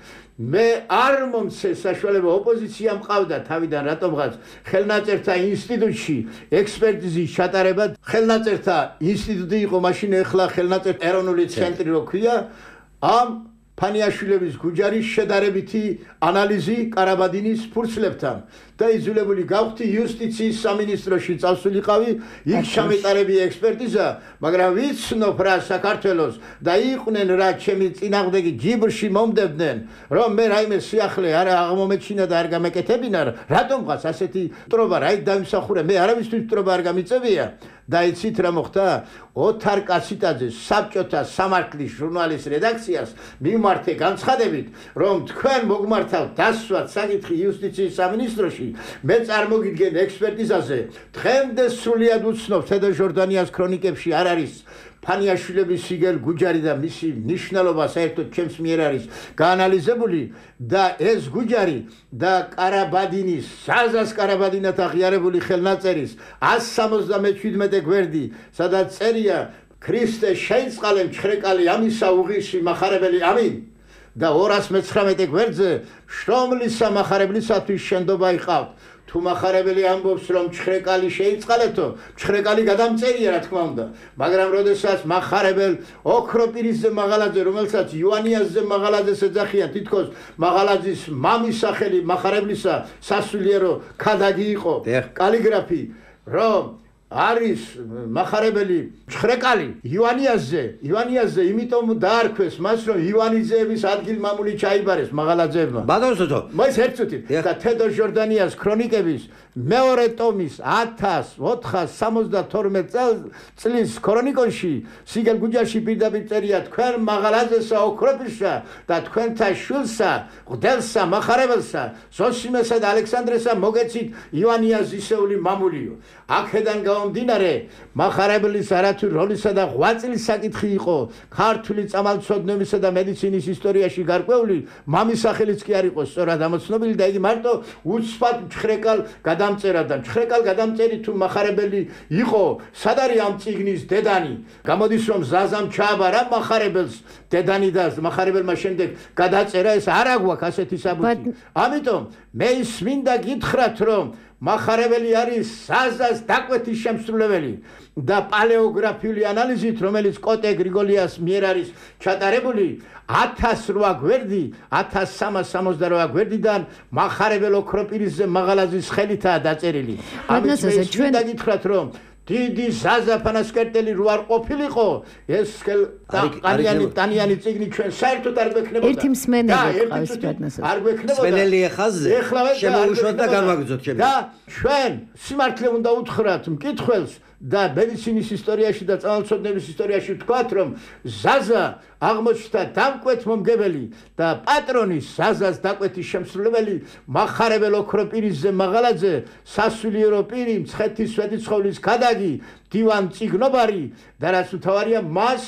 მე არ მომცე საშუალება ოპოზიცია მყავდა თავიდან რატომღაც ხელნაწერთა ინსტიტუტში ექსპერტიზის ჩატარება ხელნაწერთა ინსტიტუტი იყო მაშინ ეხლა ხელნაწერთა ეროვნული ცენტრი რო ქვია ამ ფანიაშვილების გუჯარის შედარებითი ანალიზი კარაბადინის ფურცლებთან და იძულებული გავხდი იუსტიციის სამინისტროში წავსულიყავი იქ ჩამეტარები ექსპერტიზა მაგრამ ვიცნობ რა საქართველოს და იყვნენ რა ჩემი წინააღმდეგი ჯიბრში მომდებდნენ რომ მე რაიმე სიახლე არ აღმომეჩინა და არ გამეკეთებინა რატომღაც ასეთი მტრობა რაით დავიმსახურე მე არავისთვის მტრობა არ გამიწევია და იცით რა მოხდა ოთარ კაციტაძეს საბჭოთა სამართლის ჟურნალის რედაქციას მიმართე განცხადებით რომ თქვენ მოგმართავთ დასვათ საკითხი იუსტიციის სამინისტროში მე წარმოგიდგენ ექსპერტიზაზე დღემდე სრულად უცნობ თედო ჟორდანიას ქრონიკებში არ არის ფანიაშვილების სიგელ გუჯარი და მისი ნიშნულობა საერთოდ ჩემს მიერ არის გაანალიზებული და ეს გუჯარი და კარაბადინის საზას კარაბადინათ აღიარებული ხელნაწერის εκατს სამოცდამეჩვიდმეტე გვერდი სადაც წერია ქრისტე შეიწყალე მჩხრეკალი ამისა უღიში მახარებელი ამინ და ორას მეცხრამეტე გვერდზე შრომლისა მახარებლისათვის შენდობა იყავთ თუ მახარებელი ამბობს რომ მჩხრეკალი შეიწყალეთო მჩხრეკალი გადამწერია რა თქმა უნდა მაგრამ როდესაც მახარებელ ოქროპირისზე მაღალაძე რომელსაც ივანიასზე მაღალაძეს ეძახიან თითქოს მაღალაძის მამის სახელი მახარებლისა სასულიერო ქადაგი იყო კალიგრაფი რომ არის მახარებელი მჩხრეკალი ივანიასზე ივანიასზე იმიტომ დაარქვეს მას რომ ივანიძეების ადგილმამული ჩაიბარეს მაღალაძეებმა ბატონო მას ერთწუთით და თედო ჟორდანიას ქრონიკების მეორე ტომის ათას ოთხას სამოცდათორმეტ წლის ქრონიკონში სიგელ გუჯარში პირდაპირ წერია თქვენ მაღალაძესა ოქროპირსა და თქვენთა შვილსა ღდელსა მახარებელსა ზოსიმესა და ალექსანდრესა მოგეცით ივანიას ისეული მამულიო აქედან გამომდინარე მახარებლის არათუ როლისა და ღვაწლის საკითხი იყო ქართული წამალცოდნეობისა და მედიცინის ისტორიაში გარკვეული მამის სახელიც კი არ იყო სწორად ამოცნობილი და იგი მარტო უცბად მჩხრეკალ გადამწერა და მჩხრეკალ გადამწერი თუ მახარებელი იყო სად არის ამ წიგნის დედანი გამოდის რომ ზაზამ ჩააბარა მახარებელს დედანი და მახარებელმა შემდეგ გადაწერა ეს არ აგვაქვს ასეთი საბუთი ამიტომ მე ის მინდა გითხრათ რომ მახარებელი არის საზას დაკვეთის შემსრულებელი და პალეოგრაფიული ანალიზით რომელიც კოტე გრიგოლიას მიერ არის ჩატარებული ათას რვა გვერდი ათას სამას სამოცდარვა გვერდიდან მახარებელ ოქროპირისზე მაღალაძის ხელითაა დაწერილი ამით მე ჩვენ გითხრათ რომ დიდი ზაზა ფანასკერტელი რო არ ყოფილიყო ეს ტანიანი ტანიანი წიგნი ჩვენ საერთოდ არ გვექნებოდა ერთი მსმენელი ყავს ბატონო არ გვექნებოდა მსმენელი ეხაზზე შემოუშვათ და განვაგრძოთ ჩემი და ჩვენ სიმართლე უნდა უთხრათ მკითხველს და მედიცინის ისტორიაში და წამალცოდნეობის ისტორიაში ვთქვათ რომ ზაზა აღმოჩნდა დამკვეთ მომგებელი და პატრონის ზაზას დაკვეთის შემსრულებელი მახარებელ ოქროპირისზე მაღალაძე სასულიერო პირი მცხეთის სვეტიცხოვლის ქადაგი დივან წიგნობარი და რაც მთავარია მას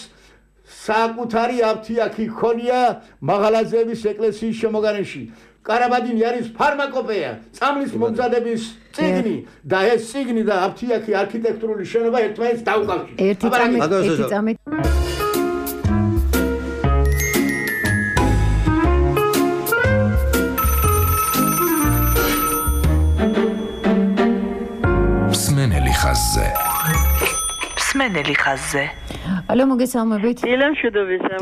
საკუთარი აფთიაქი ჰქონია მაღალაძეების ეკლესიის შემოგარენში კარაბადინი არის ფარმაკოპეა წამლის მომზადების წიგნი და ეს წიგნი და აფთიაქი არქიტექტურული შენობა ერთმანეთს დაუკავშირდება ერთი წამით ერთი წამით მსმენელი ხაზზე მსმენელი ხაზზე ალო მოგესალმებით ილემ შუდობისა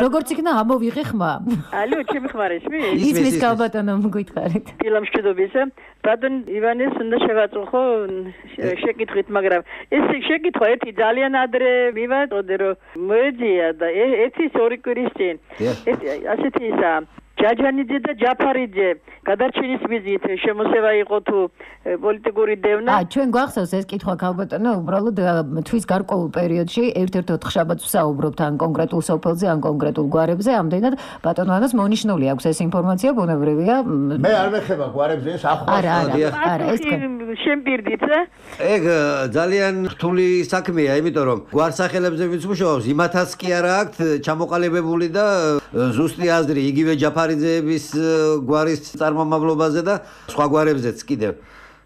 როგორც იქნა ამოვიღე ხმა ალო ჩემი ხმარისმი ისმის კალბატონო მოგითხარით ილემ შუდობისა ბატონ ივანეს უნდა შევაწუხო შეკითხვით მაგრამ ეს შეკითხვა ერთი ძალიან ადრე მივაწოდე რომ მოეძია და ერთის ორი კვირის წინ ეს ასეთი ისა ჯაჯანიძე და ჯაფარიძე გადარჩენის მიზნით შემოსევა იყო თუ პოლიტიკური დევნა. აა ჩვენ გვახსოვს ეს კითხვა ქალბატონო, უბრალოდ თვის გარკვეულ პერიოდში ერთ-ერთ ოთხშაბათს ვსაუბრობთ ან კონკრეტულ სოფელზე, ან კონკრეტულ გვარებზე, ამდენად ბატონო ანას მონიშნული აქვს ეს ინფორმაცია, ბუნებრივია. მე არ მეხება გვარებზე ეს ახლა. არა, არა, არა, ეს შემპირდით. ეგ ძალიან რთული საქმეა, იმიტომ რომ გვარსახელებზე ვინც მუშაობს, იმათაც კი არა აქვთ ჩამოყალიბებული და ზუსტი აზრი იგივე ჯაფარიძეების გვარის წარმომავლობაზე და სხვა გვარებზეც კიდევ.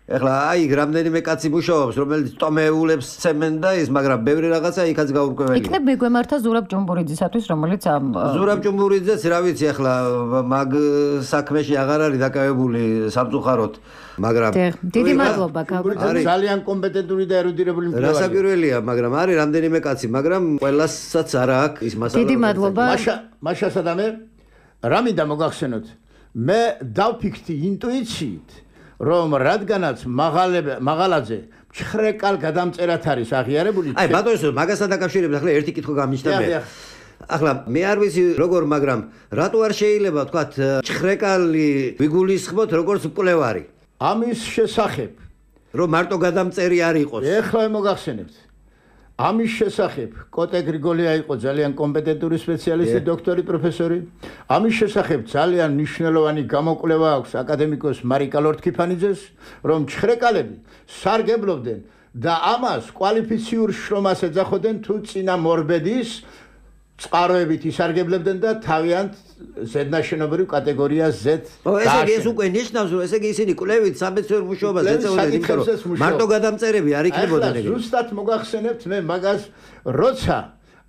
ეხლა აი რამდენიმე კაცი მუშაობს, რომელიც ტომეულებს ცემენ და ის, მაგრამ ბევრი რაღაცა იქაც გაურკვეველია. იქნებ მეგვემართა ზურაბ ჭუმბურიძისათვის, რომელიც ამ ზურაბ ჭუმბურიძეც რა ვიცი, ეხლა მაგ საქმეში აღარ არის დაკავებული სამწუხაროდ, მაგრამ დიდი მადლობა არის ძალიან კომპეტენტური და ერუდირებული მკვლევარი. რასაკვირველია, მაგრამ არის რამდენიმე კაცი, მაგრამ ყველასაც არა აქვს ის მასალა. დიდი მადლობა. მაშა მაშასა და მე რა მინდა მოგახსენოთ. მე დავფიქრდი ინტუიციით რომ რადგანაც მაღალაძე მჩხრეკალ გადამწერად არის აღიარებული. აი ბატონო, მაგასთან დაკავშირებით ახლა ერთი კითხვა გამიჩნდა მე. ახლა მე არ ვიცი როგორ, მაგრამ რატო არ შეიძლება თქვა მჩხრეკალი ვიგულისხმოთ როგორც მკვლევარი? ამის შესახებ რომ მარტო გადამწერი არ იყოს. ეხლა მოგახსენებთ. ამის შესახებ კოტე გრიგოლია იყო ძალიან კომპეტენტური სპეციალისტი, დოქტორი, პროფესორი. ამის შესახებ ძალიან მნიშვნელოვანი გამოკვლევა აქვს აკადემიკოს მარიკა ლორთქიფანიძეს, რომ ჩხრეკალები სარგებლობდნენ და ამას კვალიფიციურ შრომას ეძახოდნენ თუ წინა მორბედის წყაროებით ისარგებლებდნენ და თავიანთ ზედნაშენობრივ კატეგორიას Z. ესე იგი ეს უკვე ნიშნავს, რომ ესე იგი ისინი კვლევით სამეცნიერო მუშაობას ეწეოდნენ, იმიტომ რომ მარტო გადამწერები არ იქნებოდნენ ეგრე. ზუსტად მოგახსენებთ მე მაგას, როცა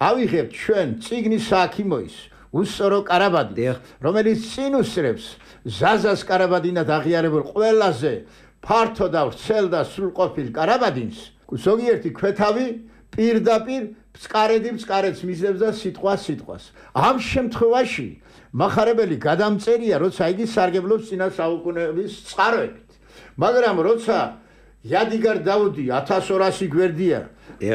ავიღებთ ჩვენ წიგნის სააქიმოის უსწორო კარაბადი, რომელიც წინ უსწრებს ზაზას კარაბადინად აღიარებულ ყველაზე ფართო და ვრცელ და სრულყოფილ კარაბადინს, ზოგიერთი ქვეთავი პირდაპირ წყარედი წყარეთს მისდევს და სიტყვა სიტყვას. ამ შემთხვევაში მახარებელი გადამწერია, როცა იგი სარგებლობს წინა საუკუნეების წყაროებით. მაგრამ როცა იადიგარ დაუდი ათას ორასი გვერდია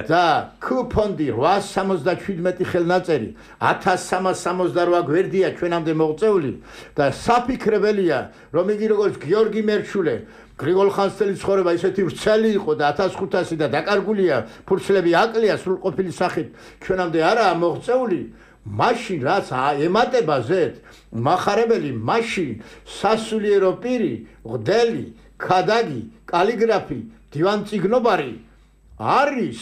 და კუპონდი რვაას სამოცდაშვიდმეტი ხელნაწერი ათას სამას სამოცდარვა გვერდია ჩვენამდე მოღწეული და საფიქრებელია, რომ იგი როგორც გიორგი მერჩულე გრიგოლ ხანძთელის ცხოვრება ისეთი ვრცელი იყო და ათას ხუთასი და დაკარგულია, ფურცლები აკლია სრულყოფილი სახით ჩვენამდე არაა მოღწეული. მაშინ რაც ემატება ზეთ მახარებელი, მაშინ სასულიერო პირი, ღდელი, ქადაგი, კალიგრაფი, დივანწიგნობარი არის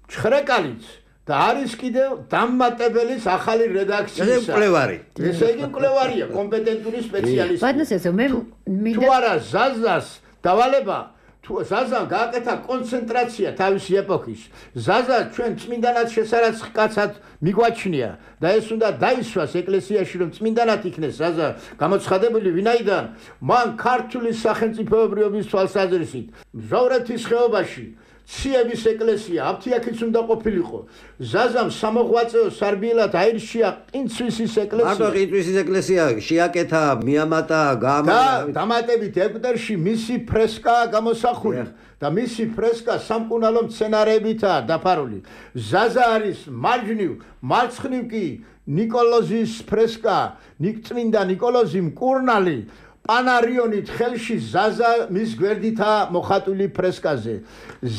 ჩხრეკალიც და არის კიდევ დამმატებელის ახალი რედაქციის. ეს მკვლევარი. ესე იგი მკვლევარია, კომპეტენტური სპეციალისტი. ბატონო, მე თუ არა ზაზას დავალება, თუ ზაზამ გააკეთა კონცენტრაცია თავისი ეპოქის, ზაზა ჩვენ წმინდანად შესარაც კაცად მიგვაჩნია და ეს უნდა დაისვას ეკლესიაში, რომ წმინდანად იქნეს ზაზა გამოცხადებული, ვინაიდან მან ქართული სახელმწიფოებრიობის თვალსაზრისით მზოვრეთის ხეობაში ციების ეკლესია აფთიაქიც უნდა ყოფილიყო. ზაზამ სამოღვაწეო სარბიელად აირჩია ყინცვისის ეკლესია. მარტო ყინცვისის ეკლესია შეაკეთა, მიამატა, და დამატებით ეგვტერში მისი ფრესკაა გამოსახული და მისი ფრესკა სამკურნალო მცენარეებითაა დაფარული. ზაზა არის მარჯვნივ, მარცხნივ კი ნიკოლოზის ფრესკა, წმინდა ნიკოლოზი მკურნალი პანარიონით ხელში ზაზა მის გვერდითაა მოხატული ფრესკაზე.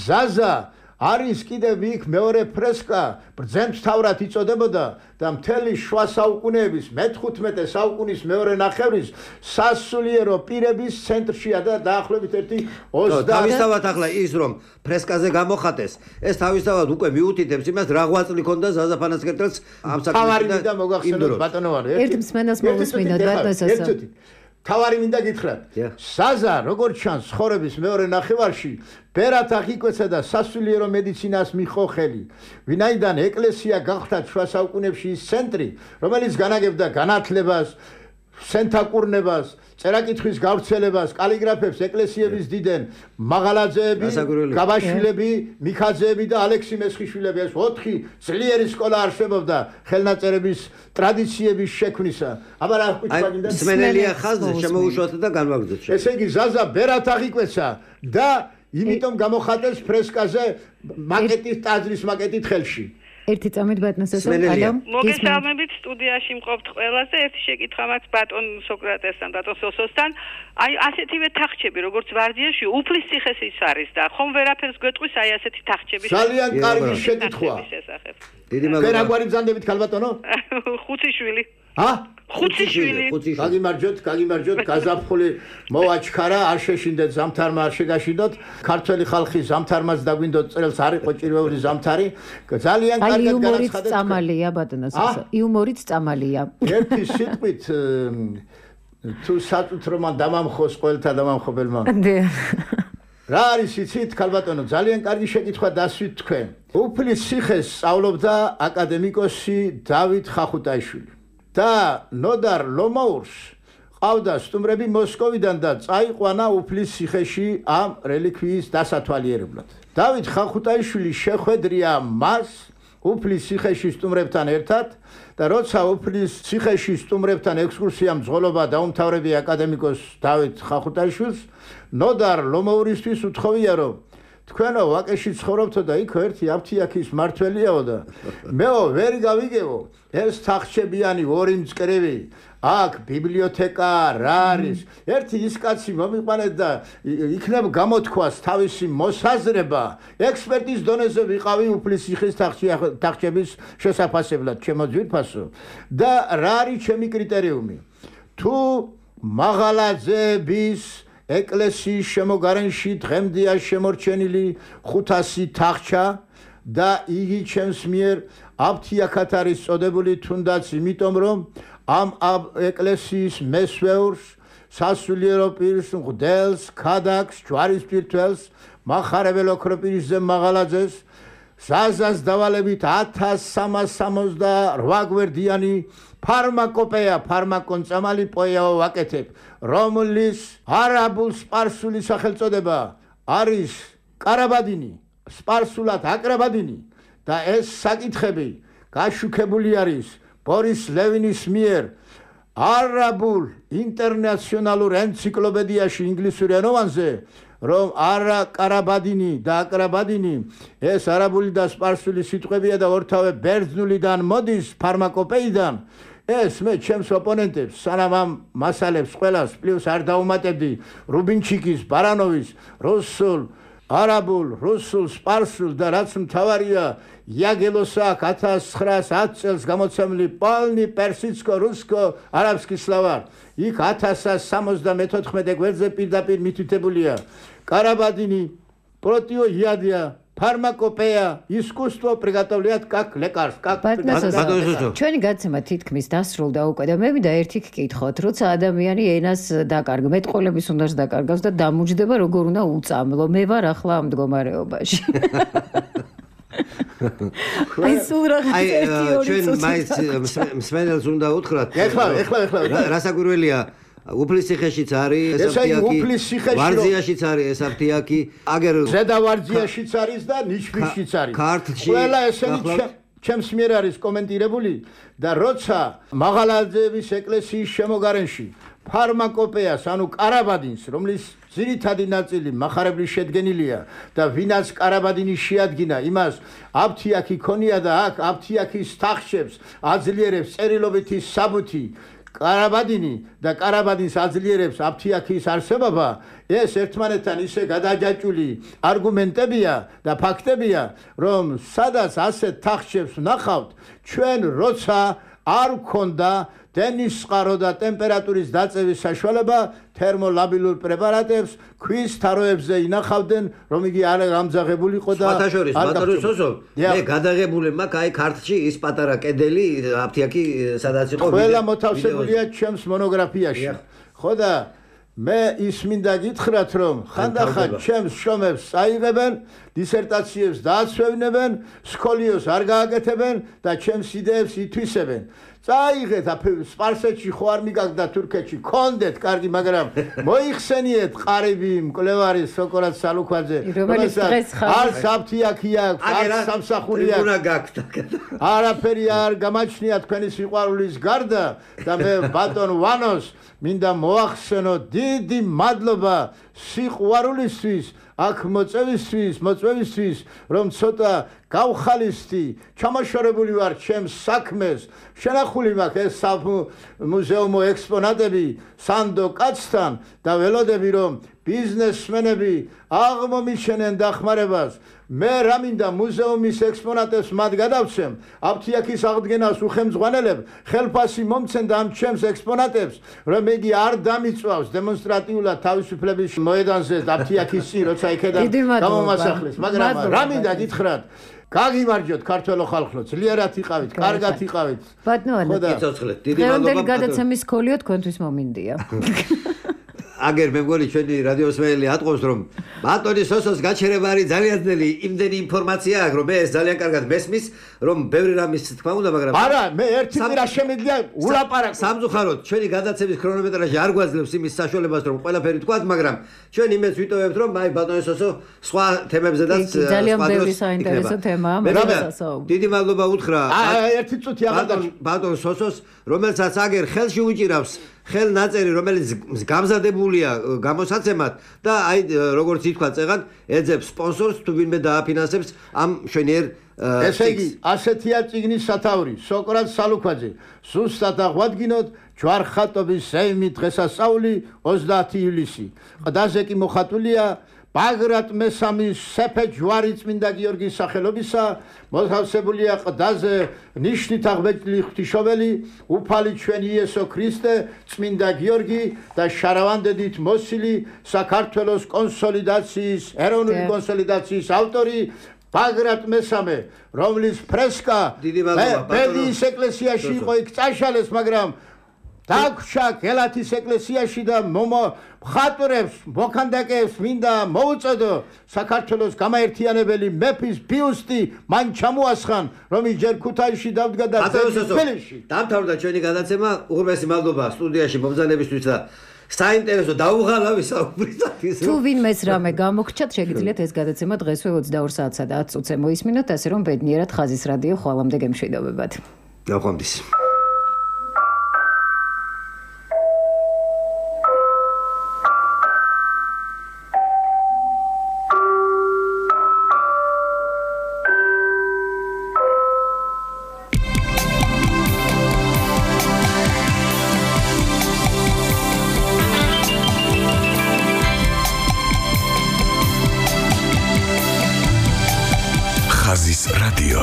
ზაზა არის კიდევ იქ მეორე ფრესკა, ბრძენმთავრად იწოდებოდა და მთელი შუა საუკუნეების მეთხუთმეტე საუკუნის მეორე ნახევრის სასულიერო პირების ცენტრშია და დაახლოებით ერთი ოცდაათი. თავისთავად ახლა ის რომ ფრესკაზე გამოხატეს, ეს თავისთავად უკვე მიუთითებს იმას, რა ღვაწლი ქონდა ზაზა ფანასკერტელს ამ საქმეში. თავარი მინდა მოგახსენოთ ბატონო ვარ. ერთ მსმენელს მოვუსმინოთ ბატონო. თავარი მინდა გითხრათ. ზაზა როგორც ჩანს ცხოვრების მეორე ნახევარში ბერად აღიკვეცა და სასულიერო მედიცინას მიჰყო ხელი. ვინაიდან ეკლესია გახდა შუა საუკუნეებში ის ცენტრი, რომელიც განაგებდა განათლებას, სენთაკურნებას, წერაკითხვის გავრცელებას, კალიგრაფებს ეკლესიების დიდენ მაღალაძეები, გაბაშვილები, მიქაძეები და ალექსი მესხიშვილები. ეს ოთხი ძლიერი სკოლა არსებობდა ხელნაწერების ტრადიციების შექმნისა. აბა რა ხვიჩვაგინდა სმენელია ხაზზე შემოუშვათ და განვაგრძოთ. ესე იგი ზაზა ბერად აღიკვეცა და იმიტომ გამოხატეს ფრესკაზე მაკეტის ტაძრის მაკეტით ხელში. ერთი წამით ბატონსა ალო მოგესალმებით სტუდიაში მყოფთ ყველას და ერთი შეკითხვა მაქვს ბატონ სოკრატესთან, ბატონ სოსოსთან. აი ასეთივე თახჩები როგორც ვარძიაში უფლის ციხეს ის არის და ხომ ვერაფერს გვეტყვის აი ასეთი თახჩების ძალიან კარგი შეკითხვა. დიდი მადლობა. ვერაგვარი ბრძანდებით ქალბატონო? ხუციშვილი. ჰა? ხუციშვილი. გაგიმარჯოთ, გაგიმარჯოთ, გაზაფხული მოვაჩქარა, არ შეშინდეთ ზამთარმა, არ შეგაშინდოთ. ქართველი ხალხი ზამთარმაც დაგვინდოთ წელს არ იყო ჭირვეული ზამთარი. ძალიან კარგად განაცხადეთ. წამალია ბატონო სოსო. იუმორიც წამალია. ერთი სიტყვით თუ საწუთრო მან დამამხოს ყველთა დამამხობელმა. რა არის იცით ქალბატონო ძალიან კარგი შეკითხვა დასვით თქვენ უფლის ციხეს სწავლობდა აკადემიკოსი დავით ხახუტაიშვილი და ნოდარ ლომოურს ყავდა სტუმრები მოსკოვიდან და წაიყვანა უფლის ციხეში ამ რელიკვიის დასათვალიერებლად დავით ხახუტაიშვილი შეხვედრია მას უფლის ციხეში სტუმრებთან ერთად და როცა უფლის ციხეში სტუმრებთან ექსკურსიამ ძღოლობა დაუმთავრებია აკადემიკოს დავით ხახუტაიშვილს ნოდარ ლომოურისთვის უთხოვია რომ თქვენო ვაკეში ცხოვრობთო და იქ ერთი აფთიაქის მართველიაო და მეო ვერ გავიგებო ეს თახჩებიანი ორი მწკრივი აქ ბიბლიოთეკა რა არის ერთი ის კაცი მომიყვანეთ და იქნებ გამოთქვას თავისი მოსაზრება ექსპერტის დონეზე ვიყავი უფლის ციხის თახჩების შესაფასებლად ჩემო ძვირფასო და რა არის ჩემი კრიტერიუმი თუ მაღალაძეების ეკლესიის შემოგარენში დღემდეა შემორჩენილი ხუთასი თახჩა და იგი ჩემს მიერ აფთიაქად არის წოდებული თუნდაც იმიტომ რომ ამ ეკლესიის მესვეურს სასულიერო პირს მღვდელს ქადაგს ჯვარის პირთველს მახარებელ ოქროპირისზე მაღალაძეს ზაზას დავალებით ათას სამას სამოცდაოთხ გვერდიანი ფარმაკოპეა ფარმაკონწამალი პოეაო ვაკეთებ რომლის არაბულ სპარსული სახელწოდება არის კარაბადინი სპარსულად აკრაბადინი და ეს საკითხები გაშუქებული არის ბორის ლევინის მიერ არაბულ ინტერნაციონალურ ენციკლოპედიაში ინგლისურ ენოვანზე რომ არა კარაბადინი და აკრაბადინი ეს არაბული და სპარსული სიტყვებია და ორთავე ბერძნულიდან მოდის ფარმაკოპეიდან ეს მე ჩემს ოპონენტებს სანამ ამ მასალებს ყველას პლუს არ დაუმატებდი რუბინჩიკის ბარანოვის რუსულ არაბულ რუსულ სპარსულ და რაც მთავარია იაგელოსაკ ათას ცხრაასი წელს გამოცემული პოლნი პერსიცკო რუსკო არაბსკი სლავარ იქ ათას სამოცდამეთოთხმეტე გვერდზე პირდაპირ მითითებულია კარაბადინი პროტიო იადია ფარმაკოპეა ისკუსტვო პრიგატოვლიათ კაკ ლეკარს კაკ ჩვენი გაცემა თითქმის დასრულდა უკვე და მე მინდა ერთი გკითხოთ როცა ადამიანი ენას დაკარგ მეტყოლების უნდა დაკარგავს და დამუჯდება როგორ უნდა უწამლო მე ვარ ახლა ამ მდგომარეობაში აი სულ რაღაც ერთი ორი ჩვენ მაინც მსმენელს უნდა უთხრათ ეხლა ეხლა ეხლა რასაკვირველია უფლის ციხეშიც არის ეს აფთიაქი ვარძიაშიც არის ეს აფთიაქი აგერ ზედა ვარძიაშიც არის და ნიშვიშიც არის ქართლში ყველა ესენი ჩემს მიერ არის კომენტირებული და როცა მაღალაძეების ეკლესიის შემოგარენში ფარმაკოპეას ანუ კარაბადინს რომლის ძირითადი ნაწილი მახარებლის შედგენილია და ვინაც კარაბადინი შეადგინა იმას აფთიაქი ქონია და აქ აფთიაქის თახჩებს აძლიერებს წერილობითი საბუთი კარაბადინი და კარაბადინს აძლიერებს აფთიაქის არსებობა ეს ერთმანეთთან ისე გადაჯაჭული არგუმენტებია და ფაქტებია რომ სადაც ასეთ თახჩებს ვნახავთ ჩვენ როცა არ გქონდა დენის წყარო და ტემპერატურის დაწევის საშუალება თერმოლაბილურ პრეპარატებს ქვის თაროებზე ინახავდნენ რომ იგი არ გამძაღებულიყო და სხვათაშორის ბატონო მე გადაღებული მაქვს აი ქართლში ის პატარა კედელი აფთიაქი სადაც იყო ყველა მოთავსებულია ჩემს მონოგრაფიაში ხო და მე ის მინდა გითხრათ რომ ხანდახან ჩემს შრომებს წაიღებენ დისერტაციებს დააცვევინებენ სკოლიოს არ გააკეთებენ და ჩემს იდეებს ითვისებენ წაიღეთ სპარსეთში ხო არ მიგაგდა თურქეთში კონდეთ კარგი მაგრამ მოიხსენიეთ ყარიბი მკვლევარი სოკრატ სალუქვაძე რომელიც დღეს არც აფთიაქია არც სამსახურია უნდა გაქვთ არაფერი არ გამაჩნია თქვენი სიყვარულის გარდა და მე ბატონ ვანოს მინდა მოახსენო დიდი მადლობა სიყვარულისთვის აქ მოწევისთვის მოწევისთვის რომ ცოტა გავხალისდი ჩამოშორებული ვარ ჩემს საქმეს შენახული მაქვს ეს მუზეუმო ექსპონატები სანდო კაცთან და ველოდები რომ ბიზნესმენები აღმომიჩენენ დახმარებას მე რა მინდა მუზეუმის ექსპონატებს მათ გადავცემ აფთიაქის აღდგენას უხელმძღვანელებ ხელფასი მომცენ და ამ ჩემს ექსპონატებს რომ იგი არ დამიწვავს დემონსტრატიულად თავისუფლების მოედანზე აფთიაქის წინ როცა იქედა გამომასახლეს მაგრამ რა მინდა გითხრათ გაგიმარჯოთ ქართველო ხალხო ძლიერად იყავით კარგად იყავით ბატონო ხო და ცოცხლეთ დიდი მადლობა ბატონო გადაცემის სკოლიო თქვენთვის მომინდია აგერ მე მგონი ჩვენი რადიოსმენელი ატყობს რომ ბატონი სოსოს გაჩერება არის ძალიან ძნელი იმდენი ინფორმაცია აქვს რომ მე ეს ძალიან კარგად მესმის რომ ბევრი რამის თქმა უნდა მაგრამ არა მე ერთი კვირა შემიძლია ულაპარაკო სამწუხაროდ ჩვენი გადაცემის ქრონომეტრაჟი არ გვაძლევს იმის საშუალებას რომ ყველაფერი თქვათ მაგრამ ჩვენ იმედს ვიტოვებთ რომ აი ბატონი სოსო სხვა თემებზედაც ძალიან ბევრი საინტერესო თემაა მაგრამ დიდი მადლობა უთხრა ერთი წუთი აღარ ბატონ სოსოს რომელსაც აგერ ხელში უჭირავს ხელ ნაწერი რომელიც გამზადებულია გამოსაცემად და აი როგორც ითქვა წეგან ეძებს სპონსორს თუ ვინმე დააფინანსებს ამ შვენიერ ესე იგი ასეთია წიგნის სათაური სოკრატ სალუქვაძე ზუსტად აღვადგინოთ ჯვარხატობის ზეიმი დღესასწაული ოცდაათი ივლისი ყდაზე კი მოხატულია ბაგრატ მესამის სეფე ჯვარი წმინდა გიორგის სახელობისა მოთავსებულია ყდაზე ნიშნით აღბეჭდილი ღვთისმშობელი უფალი ჩვენი იესო ქრისტე წმინდა გიორგი და შარავანდედით მოსილი საქართველოს კონსოლიდაციის ეროვნული კონსოლიდაციის ავტორი ბაგრატ მესამე რომლის ფრესკა ბედიის ეკლესიაში იყო იქ წაშალეს მაგრამ დაგვრჩა გელათის ეკლესიაში და მხატვრებს მოქანდაკეებს მინდა მოუწოდო საქართველოს გამაერთიანებელი მეფის ბიუსტი მან ჩამოასხან რომ ის ჯერ ქუთაისში დავდგა და თბილისში დამთავრდა ჩვენი გადაცემა უღრმესი მადლობა სტუდიაში მომბრძანებისთვის და საინტერესო დაუღალავი საუბრისათვის თუ ვინმეს რამე გამოგჩათ შეგიძლიათ ეს გადაცემა დღესვე ოცდაორ საათსა და ათ წუთზე მოისმინოთ ასე რომ ბედნიერად ხაზის რადიო ხვალამდე გემშვიდობებათ ნახვამდის ხაზის რადიო